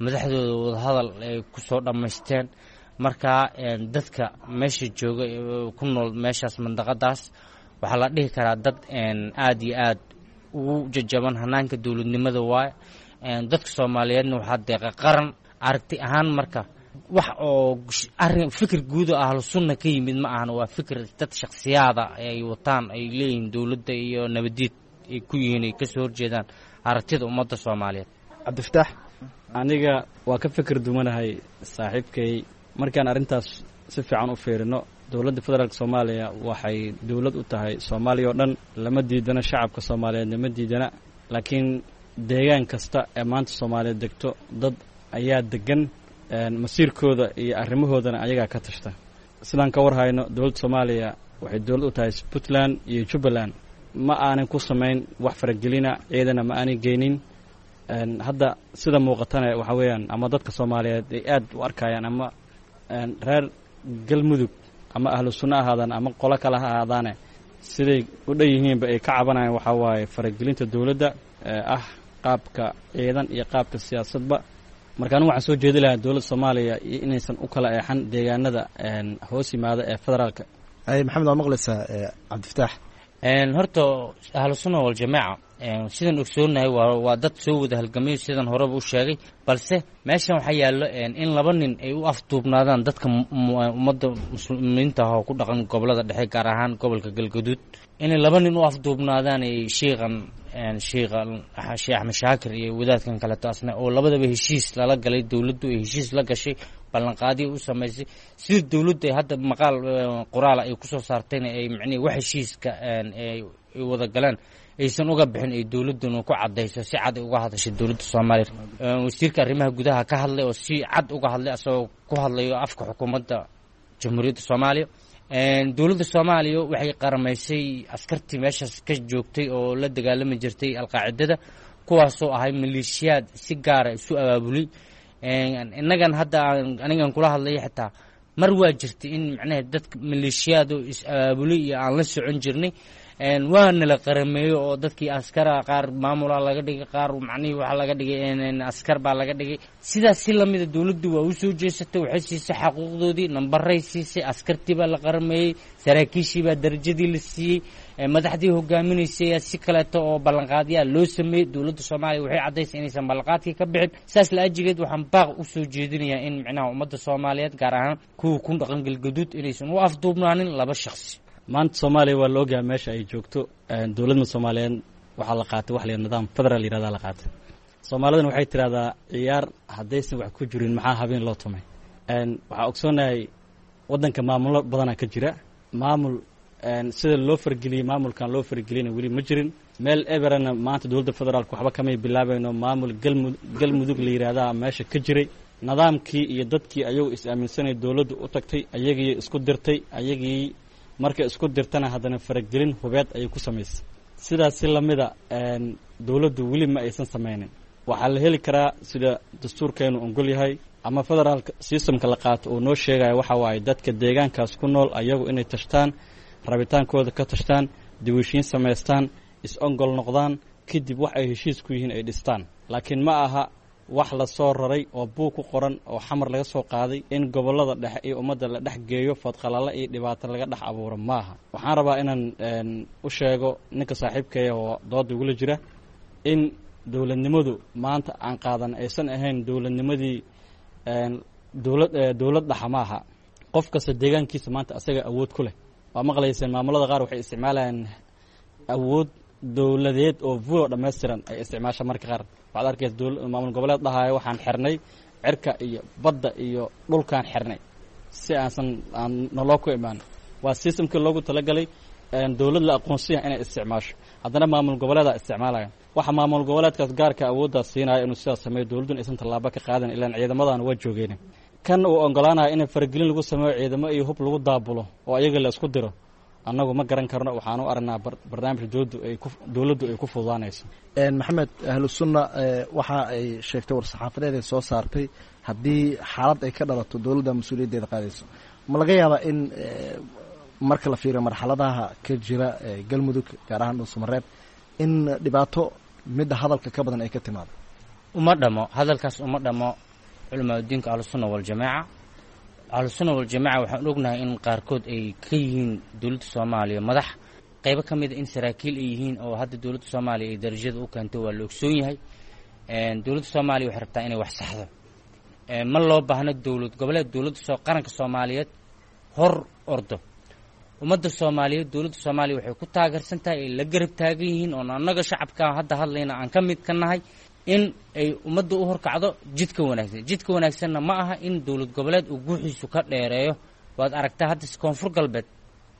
madaxdooda wadahadal ay kusoo dhammaysteen. Marka dadka meesha jooga, ku nool meeshaas, mandaqadaas, waxaa la dhihi karaa dad aad iyo aad ugu jajaban hanaanka dowladnimada waaye. Dadka Soomaaliyeedna waxaa deeqa qaran aragti ahaan. Marka wax oo arin fikir guud oo Ahlu Sunna ka yimid ma ahan, waa fikir dad shakhsiyaada ay wataan, ay leeyihiin dowladda iyo nabadiid ay ku yihiin, ay kasoo horjeedaan aragtida ummadda Soomaaliyeed. Cabdifataax, aniga waa ka fikir dumanahay saaxiibkay. Markaan arrintaas si fiican u fiirino, dowladda federaalk Soomaaliya waxay dowlad u tahay Soomaaliya oo dhan. Lama diidana, shacabka Soomaaliyeedna ma diidana, laakiin deegaan kasta ee maanta Soomaaliyeed degto dad ayaa degan, masiirkooda iyo arrimahoodana ayagaa ka tashta. Sidaan ka war hayno, dowladda Soomaaliya waxay dowlad u tahay Puntland iyo Jubbaland. Ma aanan ku samayn wax faragelina, ciidana ma aanay geynin. Hadda sida muuqatana waxa weeyaan ama dadka Soomaaliyeed ay aad u arkayaan, ama reer Galmudug ama Ahlu Sunno ahaadaan ama qolo kale ha ahaadaane, siday u dhan yihiinba ay ka cabanayaan waxaa waaye faragelinta dowladda ee ah qaabka ciidan iyo qaabka siyaasadba. Marka anigu waxaan soo jeedi lahaa dowladda Soomaaliya iyo inaysan u kala eexan deegaanada hoos yimaada ee federaalka. Maxamed, waa maqlaysaa Cabdifataax. Horta Ahlu Sunna waljamaaca sidaan ogsoonahay waa dad soo wada halgamayo, sidan horeba u sheegay, balse meeshan waxaa yaallo in laba nin ay u afduubnaadaan dadka ummadda muslimiinta ah oo ku dhaqan gobolada dhexe, gaar ahaan gobolka Galgaduud, inay laba nin u afduubnaadaan ay shiiqan shiikha Sheekh Axmed Shaakir iyo wadaadkan kaleeto asna, oo labadaba heshiis lala galay, dowladdu ay heshiis la gashay, ballanqaadiya u samaysay, sida dowladdu ay hadda maqaal qoraala ay kusoo saartayna ay micnihi wax heshiiska ay wada galeen aysan uga bixin, ay dowladduna ku caddayso, si cad ay uga hadashay dowladda Soomaaliya. Wasiirka arrimaha gudaha ka hadlay oo si cad uga hadlay, asagoo ku hadlayo afka xukuumadda Jamhuuriyadda Soomaaliya. Dowladda Soomaaliya waxay qaramaysay askartii meeshaas ka joogtay oo la dagaalami jirtay Alqaacidada, kuwaasoo ahay maleeshiyaad si gaara isu abaabulay. Innagan hadda anigan kula hadlaya xitaa mar waa jirtay in macnaha dadka maleeshiyaad oo is abaabulay iyo aan la socon jirnay. Waana la qarameeyo oo dadkii askara qaar maamula laga dhigay, qaar macnihii waxaa laga dhigay askar baa laga dhigay. Sidaas si lamida dowladdu waa u soo jeesatay, waxay siisay xaquuqdoodii, nambaray siisay, askartii baa la qarameeyey, saraakiishii baa darajadii la siiyey, madaxdii hogaaminaysay si kaleeto oo ballanqaadyaa loo sameeyey. Dowladda Soomaaliya waxay caddaysay inaysan ballanqaadkii ka bixin. Saas la ajigeed waxaan baaq u soo jeedinayaa in micnaha ummadda Soomaaliyeed, gaar ahaan kuwa ku dhaqan Galgaduud, inaysan u afduubnaanin laba shakhsi. Maanta Soomaaliya waa la ogyahay meesha ay joogto. Dowladna Soomaaliyeed waxaa la qaatay wax la nidaam federaal yirahdaa la qaatay. Soomaalidana waxay tidhahdaa ciyaar haddaysan wax ku jirin maxaa habeen loo tumay. Waxaa ogsoonahay waddanka maamullo badanaa ka jira. Maamul sida loo fargeliyey maamulkan loo fargeliyana weli ma jirin. Meel eberana maanta dowladda federaalka waxba kamay bilaabayno. Maamul Galmudug la yidhaahdaa meesha ka jiray, nidaamkii iyo dadkii ayagu is-aaminsanay dowladdu u tagtay, ayagii isku dirtay, ayagii markay isku dirtana haddana faragelin hubeed ayay ku samaysay. Sidaas si lamida dowladdu weli ma aysan samaynin. Waxaa la heli karaa sida dastuurkeenu ogol yahay ama federaalka systemka la qaato uu noo sheegaya, waxa waaye dadka deegaankaas ku nool ayagu inay tashtaan, rabitaankooda ka tashtaan, diwishiin samaystaan, is-ongol noqdaan, kadib wax ay heshiis ku yihiin ay dhistaan. Laakiin ma aha wax la soo raray oo buug ku qoran oo Xamar laga soo qaaday in gobollada dhexe iyo ummadda la dhex geeyo, fadqalala iyo dhibaato laga dhex abuuro maaha. Waxaan rabaa inaan u sheego ninka saaxiibkeeya oo dooda igula jira in dowladnimadu maanta aan qaadan aysan ahayn dowladnimadii dowlad dhaxa maaha. Qof kasta deegaankiisa maanta asaga awood ku leh. Waa maqlayseen maamulada qaar waxay isticmaalayaan awood dowladeed oo vulo dhammaystiran ay isticmaasha. Marka qaar waxaad arkaysa maamul goboleed dhahaayo waxaan xirnay cirka iyo badda iyo dhulkaan xirnay si aansan aan naloo ku imaan. Waa systemkii loogu talagalay dowlad la aqoonsiya inay isticmaasho, haddana maamul goboleedaa isticmaalaya. Waxa maamul goboleedkaas gaarka awooddaas siinaya inuu sidaas sameeyo, dowladduna aysan tallaabo ka qaadan, ilaan ciidamadan waa joogeen. Kan uu ogolaanaya in faragelin lagu sameeyo, ciidamo iyo hub lagu daabulo oo ayaga la isku diro, annagu ma garan karno. Waxaan u aragnaa barnaamij dowladdu ay ku fududaanayso. Maxamed, Ahlu Sunna waxa ay sheegtay war-saxaafadeed ay soo saartay haddii xaalad ay ka dhalato dowladda mas-uuliyaddeeda qaadayso. Ma laga yaabaa in marka la fiiriyo marxaladaha ka jira Galmudug, gaar ahaan Dhuusamareeb, in dhibaato midda hadalka ka badan ay ka timaado? Uma dhamo hadalkaas, uma dhamo culamaadudiinka Ahlusunna Waljamaaca. Ahlusunna Waljamaaca waxaan ognahay in qaarkood ay ka yihiin dowladda Soomaaliya madax, qaybo ka mida in saraakiil ay yihiin oo hadda dowladda Soomaaliya ay darajada u keento, waa la ogsoon yahay. Dowladda Soomaaliya waxay rabtaa inay wax saxdo. Ma loo baahno dowlad goboleed dowladda soo qaranka Soomaaliyeed hor ordo. Ummadda Soomaaliyeed dowladda Soomaaliya waxay ku taageersan tahay, ay la garab taagan yihiin, oon annaga shacabka hadda hadlayna aan ka mid ka nahay, in ay ummadda u horkacdo jidka wanaagsan. Jidka wanaagsanna ma aha in dowlad goboleed uu guuxiisu ka dheereeyo. Waad aragtaa hadda Koonfur Galbeed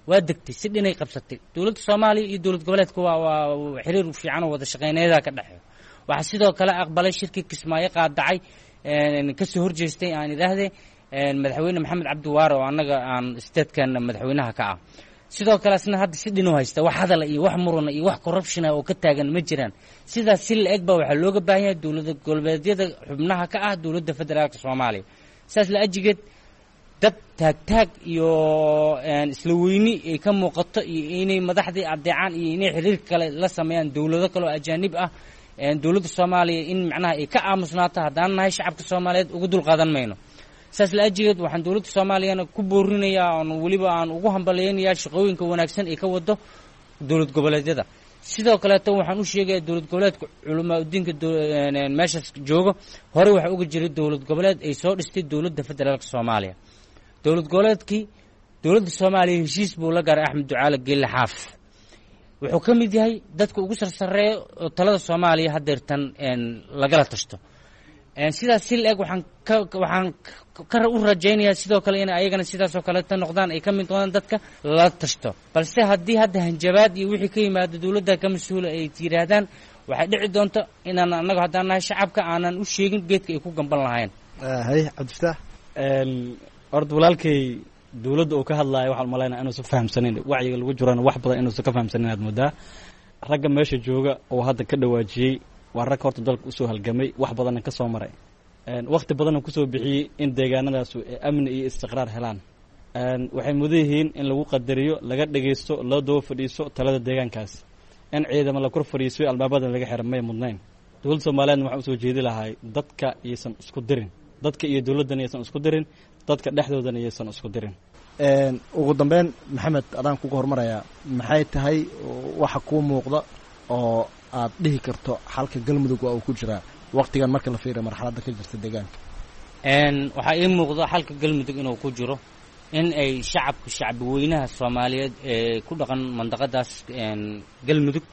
waa degtay, si dhinay qabsatay. Dowladda Soomaaliya iyo dowlad goboleedka waa xiriir fiican oo wada shaqeyneedaa ka dhexeeyo. Waxaa sidoo kale aqbalay shirkii Kismaayo qaadacay, kasoo horjeestay aan idhaahdee, madaxweyne Maxamed Cabdiwaare oo annaga aan statekan madaxweynaha ka ah. Sidoo kale asna hadda si dhinu haysta, wax hadala iyo wax murana iyo wax corruptiona oo ka taagan ma jiraan. Sidaas si la eg baa waxaa looga baahan yahay dowlada goboleedyada xubnaha ka ah dowladda federaalka Soomaaliya. Sidaas la ajigeed dad taagtaag iyo isla weyni ay ka muuqato iyo inay madaxdii adeecaan iyo inay xiriir kale la sameeyaan dowlado kale oo ajaanib ah, dowladda Soomaaliya in macnaha ay ka aamusnaato haddaan nahay shacabka Soomaaliyeed uga dulqaadan mayno. Saas la ajigeed waxaan dowladda Soomaaliyana ku boorinayaa oon weliba aan ugu hambalyaynayaa shaqooyinka wanaagsan ay ka wado dowlad goboleedyada. Sidoo kaleeto waxaan u sheegayaa dowlad goboleedka culamaa udiinka meeshaas joogo, horey waxaa uga jiray dowlad goboleed ay soo dhistay dowladda federaalka Soomaaliya. Dowlad goboleedkii dowladda Soomaaliya heshiis buu la gaaray Axmed Ducaale Geelle Xaaf. Wuxuu ka mid yahay dadka ugu sarsareeya oo talada Soomaaliya haddeertan lagala tashto. Sidaas si la-eg waxaan ka waxaan ka u rajaynayaa sidoo kale inay ayagana sidaasoo kaleeta noqdaan, ay ka mid noqdaan dadka lala tashto. Balse haddii hadda hanjabaad iyo wixii ka yimaado dowladda ka mas-uula ay yidhaahdaan, waxay dhici doonto inaan annaga haddaan nahay shacabka aanan u sheegin geedka ay ku gamban lahayn. Haye Cabdifataax. Horta walaalkay dowladda uu ka hadlaayo waxaan umalaynaa inuusan fahamsanayn wacyiga lagu jirana, wax badan inuusan ka fahamsanayn aad moodaa. Ragga meesha jooga oo hadda ka dhawaajiyey waa rag horta dalka usoo halgamay, wax badanna ka soo maray, wakhti badanna kusoo bixiyey in deegaanadaasu ay amni iyo istiqraar helaan. Waxay mudan yihiin in lagu qadariyo, laga dhegaysto, loo daba fadhiiso talada deegaankaas. In ciidamo la kor fadhiiso albaabada laga xira may mudnayn. Dowladda Soomaaliyeedna waxaan usoo jeedi lahay dadka iyaysan isku dirin, dadka iyo dowladdana iyaysan isku dirin, dadka dhexdoodana iyaysan isku dirin. Ugu dambeyn, Maxamed, adaan kuga hormarayaa, maxay tahay waxa kuu muuqda oo aad dhihi karto xalka Galmudug waa uu ku jiraa waqtigan marka la fiiriyo marxaladda ka jirta deegaanka? Waxaa ii muuqda xalka Galmudug inuu ku jiro in ay shacabka, shacbi weynaha Soomaaliyeed ee ku dhaqan mandaqadaas Galmudug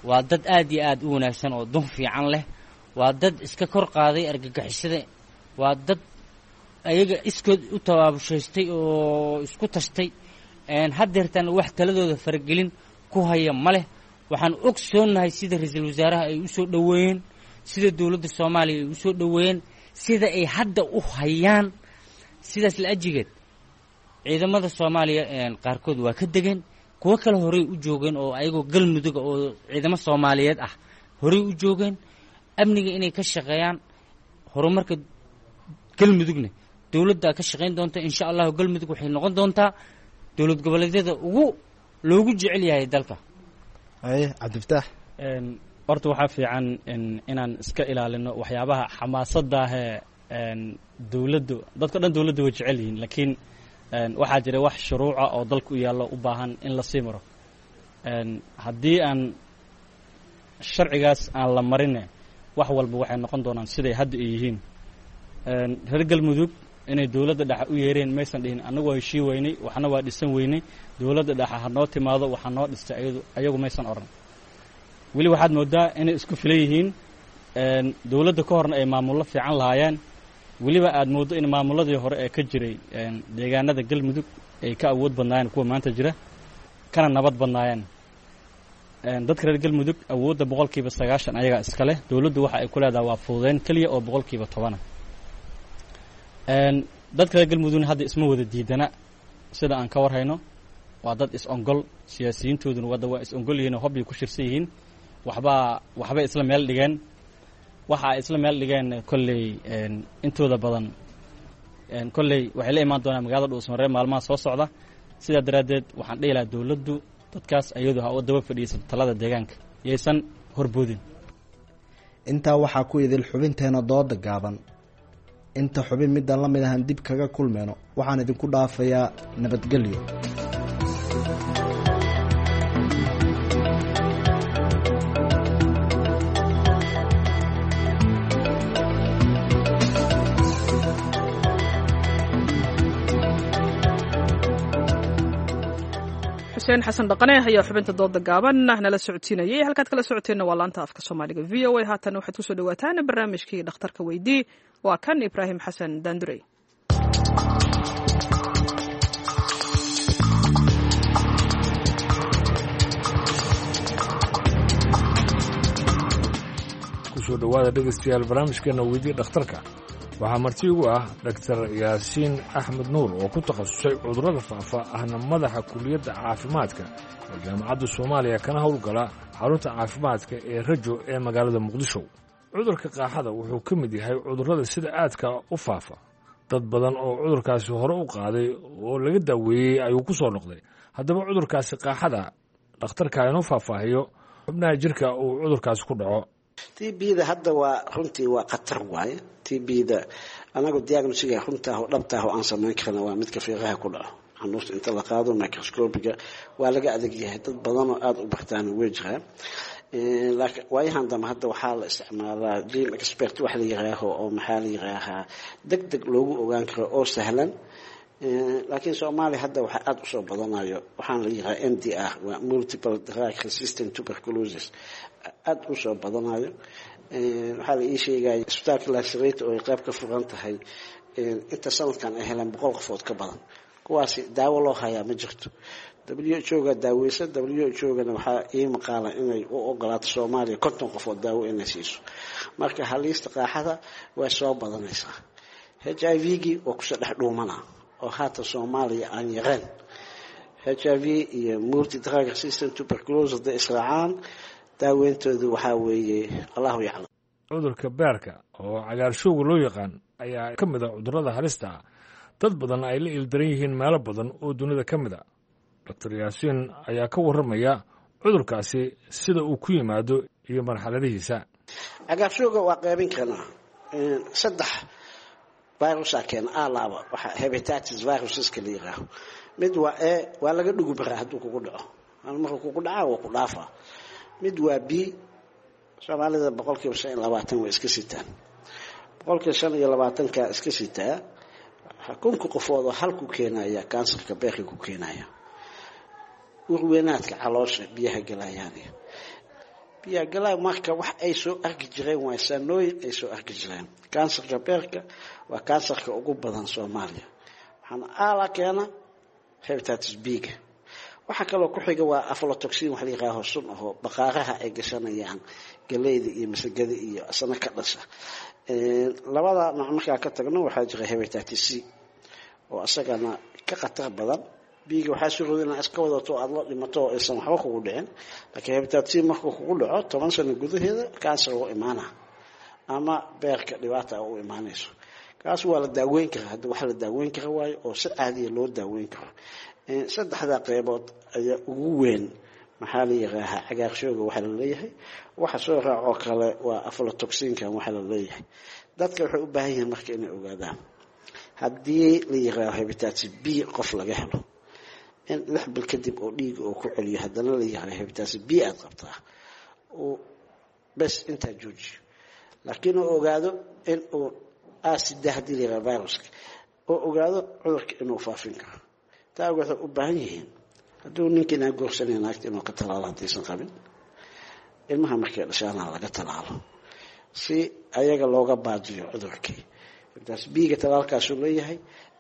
waa dad aad iyo aad u wanaagsan oo dun fiican leh, waa dad iska kor qaaday argagixisada, waa dad ayaga iskood u tabaabushaystay oo isku tashtay. Haddeertaan wax taladooda faragelin ku haya ma leh. Waxaan ogsoonahay sida ra-iisul wasaaraha ay usoo dhoweeyeen, sida dowladda Soomaaliya ay usoo dhoweeyeen, sida ay hadda u hayaan. Sidaas la ajigeed ciidamada Soomaaliya qaarkood waa ka degeen, kuwo kale horey u joogeen oo ayagoo Galmuduga oo ciidamo Soomaaliyeed ah horey u joogeen amniga inay ka shaqeeyaan. Horumarka Galmudugna dowladdaa ka shaqayn doonta, insha Allahu. Galmudug waxay noqon doontaa dowlad goboleedyada ugu loogu jecel yahay dalka. Haye, Cabdifataax. Horta waxaa fiican inaan iska ilaalino waxyaabaha xamaasaddaahee dowladdu. Dadka dhan dowladdu way jecel yihiin, laakiin waxaa jira wax shuruuca oo dalka u yaallo u baahan in la sii maro. Haddii aan sharcigaas aan la marine, wax walba waxay noqon doonaan siday hadda ay yihiin. Reer Galmudug inay dowladda dhexe u yeereen maysan dhihin annagu waa heshii weynay, waxna waa dhisan weynay, dowladda dhexe ha noo timaado waxaa noo dhistay ayadu, ayagu maysan odhan. Weli waxaad moodaa inay isku filan yihiin. Dowladda ka horna ay maamullo fiican lahaayeen, weliba aad mooddo in maamulladii hore ee ka jiray deegaanada Galmudug ay ka awood badnaayeen kuwa maanta jira, kana nabad badnaayeen. Dadka reer Galmudug awoodda 90% ayagaa iska leh. Dowladdu waxa ay ku leedahay waa fududeyn keliya oo 10%. Dadka reer Galmudugna hadda isma wada diidana sida aan ka warhayno. Waa dad is-ongol, siyaasiyiintooduna wadda waa is-ongol yihiin oo hobbay ku shirsan yihiin. Waxbaa waxbay isla meel dhigeen, waxa ay isla meel dhigeen kolley intooda badan kolley waxay la imaan doonaan magaalada Dhuusmareeb maalmaha soo socda. Sidaa daraaddeed waxaan dhihi lahaa dowladdu dadkaas ayadu ha u daba fadhiisato talada deegaanka, yaysan horboodin. Intaa waxaa ku idil xubinteena dooda gaaban. Inta xubin midaan la mid ahan dib kaga kulmeyno, waxaan idinku dhaafayaa nabadgelyo. Xuseen Xasan Dhaqane ayaa xubinta dooda gaaban nala socodsiinayay. Halkaad kala socoteenna waa laanta afka Soomaaliga VOA. Haatan waxaad kusoo dhawaataan barnaamijkii Dhakhtarka Weydii. Waa kan Ibraahim Xasan Daandurey. Kusoo dhowaada dhegaystayaal barnaamijkeena Weydii Dhakhtarka. Waxaa marti ugu ah Dhaktar Yaasiin Axmed Nuur oo ku takhasusay cudurrada faafa, ahna madaxa kuliyadda caafimaadka ee Jaamacadda Soomaaliya, kana howlgala xarunta caafimaadka ee Rajo ee magaalada Muqdisho. Cudurka qaaxada wuxuu ka mid yahay cudurrada sida aadka u faafa. Dad badan oo cudurkaasi hore u qaaday oo laga daaweeyey ayuu ku soo noqday. Haddaba cudurkaasi qaaxada dhakhtarka inuu faahfaahiyo xubnaha jirka uu cudurkaasi ku dhaco. TB-da hadda waa runtii waa khatar waaye. TB-da anagu diagnostiga runtaah oo dhabtaah oo aan samayn karna waa midka fiiqaha ku dhaco, xanuusta inta la qaado microscopiga waa laga adag yahay. Dad badanoo aada u bartaan way jiraan, laakiin waayahan dambe hadda waxaa la isticmaalaa GeneXpert wax la yiraaho oo maxaa la yiraahaa deg deg loogu ogaan karo oo sahlan. Laakiin Soomaaliya hadda waxaa aada usoo badanayo waxaana la yirahaa MDR, waa multiple drug resistant tuberculosis, aada usoo badanayo. Waxaa la ii sheegaya isbitaalka Laasareyta oo ay qayb ka furan tahay inta sanadkan ay heleen 100 qofood ka badan. Kuwaasi daawo loo hayaa ma jirto. WHO ga daaweysa, WHO gana waxaa ii maqaala inay u ogolaato Soomaaliya 50 qofood daawo inay siiso. Marka haliista qaaxada way soo badanaysaa. HIV-gii waa kusoo dhex dhuumana oo haatan Soomaaliya aan yareen. HIV iyo multi drug resistant tuberculosis hadday israacaan, daaweyntoodu waxaa weeye Allahu yaclam. Cudurka beerka oo cagaarshowga loo yaqaan ayaa ka mid ah cudurrada halista ah. Dad badan ay la ildaran yihiin meelo badan oo dunida ka mid a. Doctor Yaasiin ayaa ka warramaya cudurkaasi sida uu ku yimaado iyo marxaladihiisa. Cagaarshowga waa qaybin karnaa saddex virusa keena alaaba waxa hepatitis viruseska la yiraaho. Mid waa A, waa laga dhugu baraa hadduu kugu dhaco, markuu kugu dhacaa waa ku dhaafaa. Mid waa B, Soomaalida 25% way iska sitaan, 25%-ka iska sitaa. Kunka qofood oo hal ku keenaya kansarka beerka ku keenaya, urweynaadka caloosha biyaha galayaan, biyaha galaya. Marka wax ay soo arki jireen waa sanooyin ay soo arki jireen. Kansarka beerka waa kansarka ugu badan Soomaaliya, waxaana aala keena hepatitis B-ga. Waxaa kaloo ku xiga waa aflatoxin, wax la yihaaho sun ahoo baqaaraha ay gashanayaan galeyda iyo masagada iyo asana ka dhasha. Labada nooc markaa ka tagno, waxaa jira hepatitis C oo isagana ka khatar badan. B-ga waxaa suurooda inaad iska wadato aada la dhimato oo aysan waxba kugu dhicin, laakiin hepatitis C markuu kugu dhaco 10 sano gudaheeda kansar u imaana ama beerka dhibaata u imaanayso. Kaas waa la daaweyn karaa, hadda wax la daaweyn kara waayo oo si caadiya loo daaweyn karo. Saddexdaa qeybood ayaa ugu weyn maxaa la yiraahaa cagaarshooga waxaa la leeyahay. Waxa soo raacoo kale waa aflatoxinkan waxaa la leeyahay. Dadka waxay u baahan yihiin marka inay ogaadaan haddii la yiraaho hepatitis B qof laga helo, in 6 bil kadib oo dhiiga oo ku celiyo haddana la yiraaho hepatitis B aada qabtaa, uu bes intaa joojiyo, laakiin uu ogaado in uu asida haddii la yiraha viruska oo ogaado cudurka inuu faafin karo. Taa waxay u baahan yihiin hadduu ninkiinaa guursanay naagta inuu ka talaalo haddaysan qabin, ilmaha markay dhashaana laga talaalo si ayaga looga baajiyo cudurkii. Hepatitis B-ga talaalkaasuu leeyahay,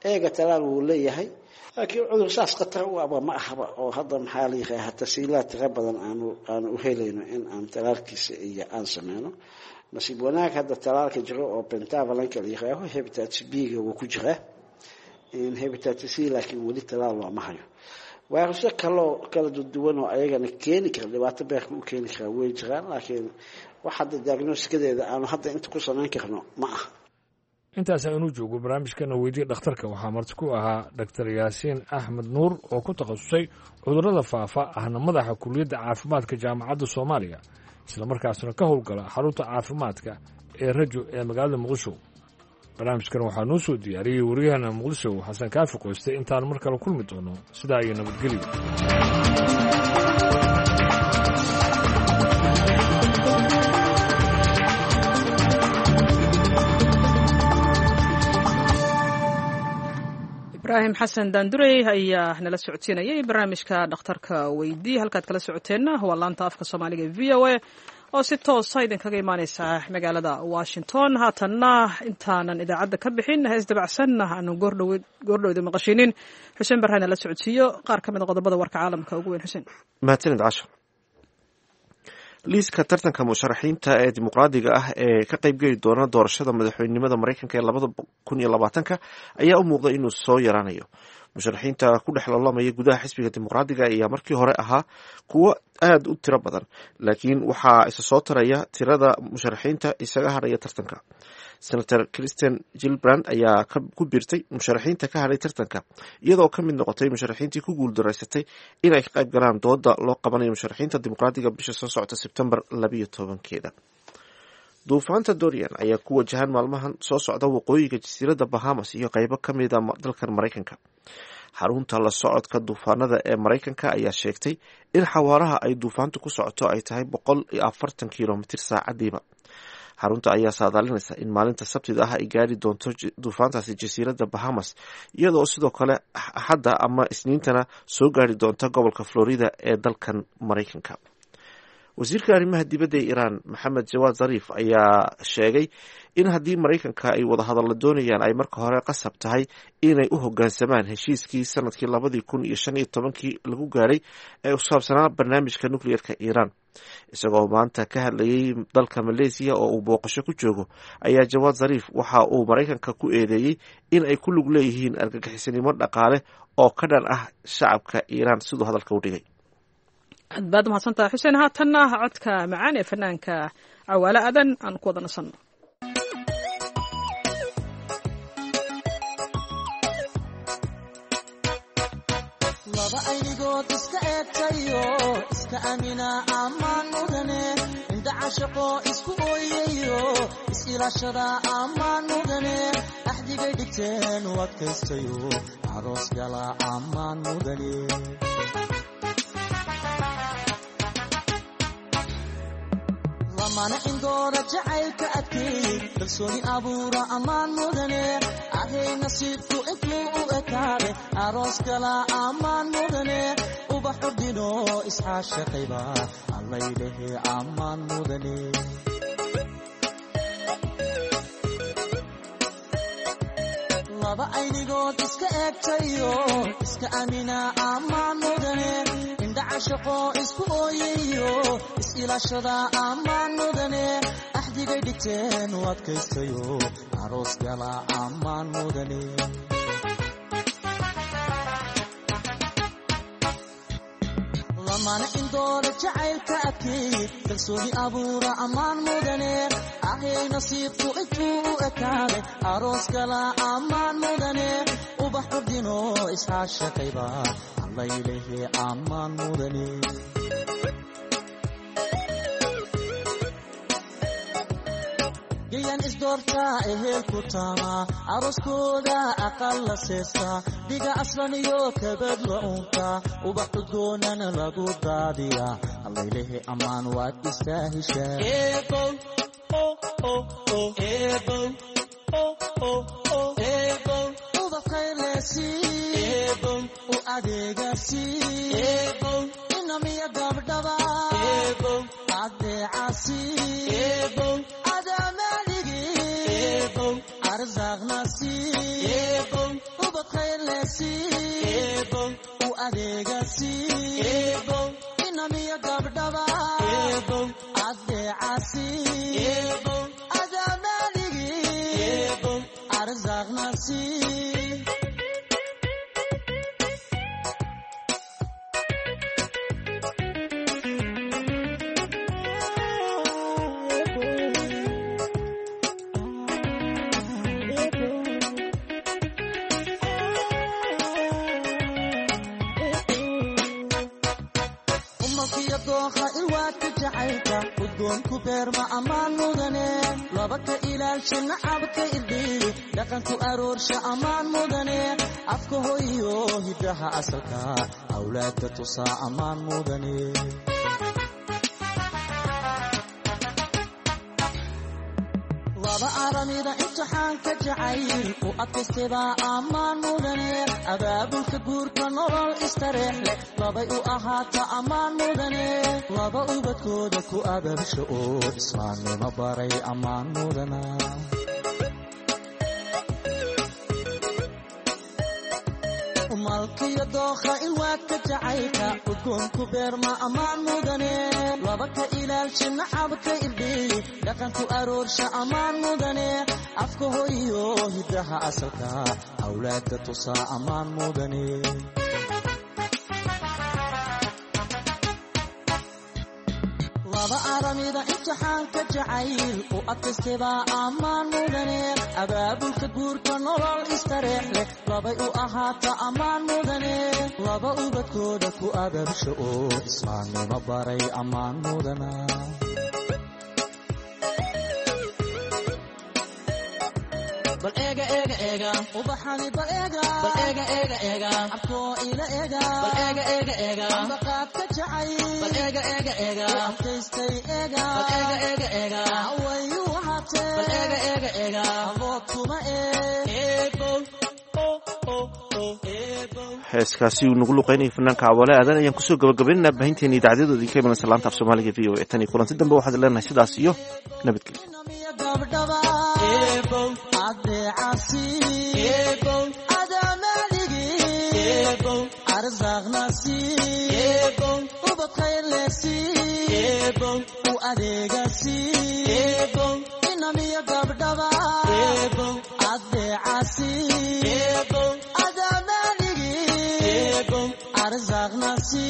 eega talaal wuu leeyahay, laakiin cudur saas khatar u aba ma ahaba oo hadda maxaa la yiraahdaa tasiilaad tiro badan aanu u helayno in aan talaalkiisa iyo aan sameyno. Nasiib wanaag hadda talaalka jiro oo pentavalent-ka la yiraaho hepatitis B-ga wuu ku jiraa, hepatitis C laakiin weli talaal looma hayo. Vayrusyo kaloo kala duwan oo ayagana keeni kara dhibaato beerka u keeni karaa way jiraan, laakiin wax hadda diagnosticadeeda aanu hadda inta ku samayn karno ma aha. Intaas aynu joogo barnaamijkana weydiye dhakhtarka. Waxaa marti ku ahaa Doctor Yaasiin Axmed Nuur oo ku takhasusay cudurrada faafa, ahna madaxa kuliyadda caafimaadka Jaamacadda Soomaaliya, islamarkaasna ka howlgala xarunta caafimaadka ee Rajo ee magaalada Muqdisho. Barnaamijkan waxaa noo soo diyaariyey waryahana Muqdisho, Xasan Kaafi Qoyste. Intaan mar kale kulmi doono, sidaa iyo nabadgelyo. Ibraahim Xasan Daandurey ayaa nala socodsiinayay barnaamijka dhakhtarka weydii. Halkaad kala socoteenna waa laanta afka Soomaaliga e VOA oo si toosa idinkaga imaaneysa magaalada Washington. Haatanna intaanan idaacadda ka bixin, hees dabacsanna aanu goordhowda maqashinin, Xuseen Barre nala socodsiiyo qaar ka mid a qodobada warka caalamka ugu weyn. Xuseen. Mahadsanid Casho. Liiska tartanka musharaxiinta ee dimuqraadiga ah ee ka qaybgeli doona doorashada madaxweynenimada Mareykanka ee 2020-ka ayaa u muuqda inuu soo yaraanayo. Musharaxiinta ku dhex loolamaya gudaha xisbiga dimuqraadiga ayaa markii hore ahaa kuwo aada u tiro badan, laakiin waxaa isa soo taraya tirada musharaxiinta isaga hadhaya tartanka. Senator Kristen Gilbrand ayaa ku biirtay musharaxiinta ka hadhay tartanka, iyadoo ka mid noqotay musharaxiintii ku guuldaraysatay inay ka qayb galaan dooda loo qabanayo musharaxiinta dimuqraadiga bisha soo socota Sebtembar 12-keeda. Duufaanta Dorian ayaa ku wajahan maalmahan soo socda waqooyiga jasiiradda Bahamas iyo qeybo ka mid a dalkan Maraykanka. Xarunta la socodka duufaanada ee Maraykanka ayaa sheegtay in xawaaraha ay duufaantu ku socoto ay tahay 140 kilomitir saacadiiba. Xarunta ayaa saadaalinaysa in maalinta Sabtida ah ay gaari doonto duufaantaasi jasiiradda Bahamas, iyadoo sidoo kale Axadda ama Isniintana soo gaari doonta gobolka Florida ee dalkan Maraykanka. Wasiirka arrimaha dibadda ee Iiraan, Maxamed Jawaad Zariif, ayaa sheegay in haddii Maraykanka ay wadahadalla doonayaan ay marka hore qasab tahay inay u hoggaansamaan heshiiskii sanadkii 2015-kii lagu gaaray ee ku saabsanaa barnaamijka nukliyeerka Iiraan. Isagoo maanta ka hadlayay dalka Maleesiya oo uu booqasho ku joogo, ayaa Jawaad Zariif waxa uu Maraykanka ku eedeeyey in ay ku lug leeyihiin argagixisanimo dhaqaale oo ka dhan ah shacabka Iiraan, siduu hadalka u dhigay. Aad baad umahadsantaha Xuseen. Haatanna codka macaan ee fanaanka Cawaale Adan aan ku wada nasanno. Laba aynigood iska eegtayo, iska amina ammaan mudane. Indha cashaqo isku ooyayo, is-ilaashada ammaan mudane. Axdigay dhigteen u adkaystayo, aroos gala ammaan mudane. Lamana indoora jacaylka adkeey, kalsooni abuura ammaan mudane. Ahay, nasiibku intuu u ekaade, aroos gala ammaan mudane. Ubax ordino isxaashaqayba, allaylehe ammaan mudane. Laba aynigood iska eegtayo, iska amina ammaan mudane. Indha cashaqo isku ooyayo, is-ilaashada ammaan mudane. Axdigay dhigteen u adkaystayo, aroos gala ammaan mudane. Lamana indoora jacaylka adkeey, kalsooni abuura ammaan mudane. Ahay, nasiibku intuu u ekaade, aroos gala ammaan mudane. Ubax ordino isxaashaqayba, allaylehe ammaan mudane. Gayan isdoortaa, ehel ku taamaa, arooskooda aqal la seestaa, dhiga aslan iyo kabad la unkaa, ubax udgoonana lagu daadiyaa. Allaylehe ammaan waad istaa heshaa. Ubax khayrlesi u adeegasi, inamiya gabdhaba adeecasi. Ubad khayrlesi u adeegasi, inamiya gabdhaba adeecasi. Adamaaligi arsaaqnasi. Umalkiyo dooha ilwaadka jacaylka, udgoonku beerma ammaan mudane. Laba ka ilaalsha nacabka irdhiyi, dhaqanku aroorsha ammaan mudane. Afka hoyo hiddaha asalka, awlaadda tusaa ammaan mudane. Laba aramida imtixaanka jacayl u adkaystay ammaan mudane. Abaabulka guurka nolol istareex leh, labay u ahaata ammaan mudane. Laba ubadkooda ku abaabsha oo islaamnimo baray ammaan mudana. Malkiyo dookha ilwaadka jacaylka, udgoonku beerma ammaan mudane. Laba ka ilaalsha nacabka irdhiyi, dhaqanku aroorsha ammaan mudane. Afka hoyo hiddaha asalka, awlaadda tusaa ammaan mudane. Laba aramida imtixaanka jacayl u adkaystay ammaan mudane. Abaabulka guurka nolol istareex leh, labay u ahaata ammaan mudane. Laba ubadkooda ku abaabsha oo islaamnimo baray ammaan mudana. Bal eega eega eega ubaxani, bal eega bal eega eega eega abkoo ila eega, bal eega eega eega ambaqaadka jacay, bal eega eega eega adkaystay eega, bal eega eega eega awayu ahaatee, bal eega eega eega abood kuma eebo. Heeskaasi uu nagu luqeynaya fanaanka Cawaale Aadan ayaan kusoo gabagabaynaynaa baahinteena idaacadyadooda idinka imanaysa laanta af Soomaaliga VOA. Tan iyo kulanti dambe waxaad leenahay sidaas iyo nabadgelyo. Gabdhaba adeecasi adamaaligi arsaaqnasi, ubad khayrlesi u adeegasi, inamiya gabdhaba adeecasi. Adamaaligi arsaaqnasi.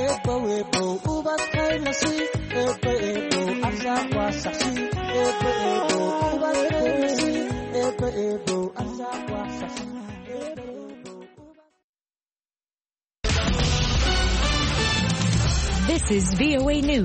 Ebow ebow ubad khayrlasi, ebo ebow arsaaq waasaxsi, ebo ebow ubad khayrlasi, ebo ebow arsaaq waasaxsi. This is VOA News.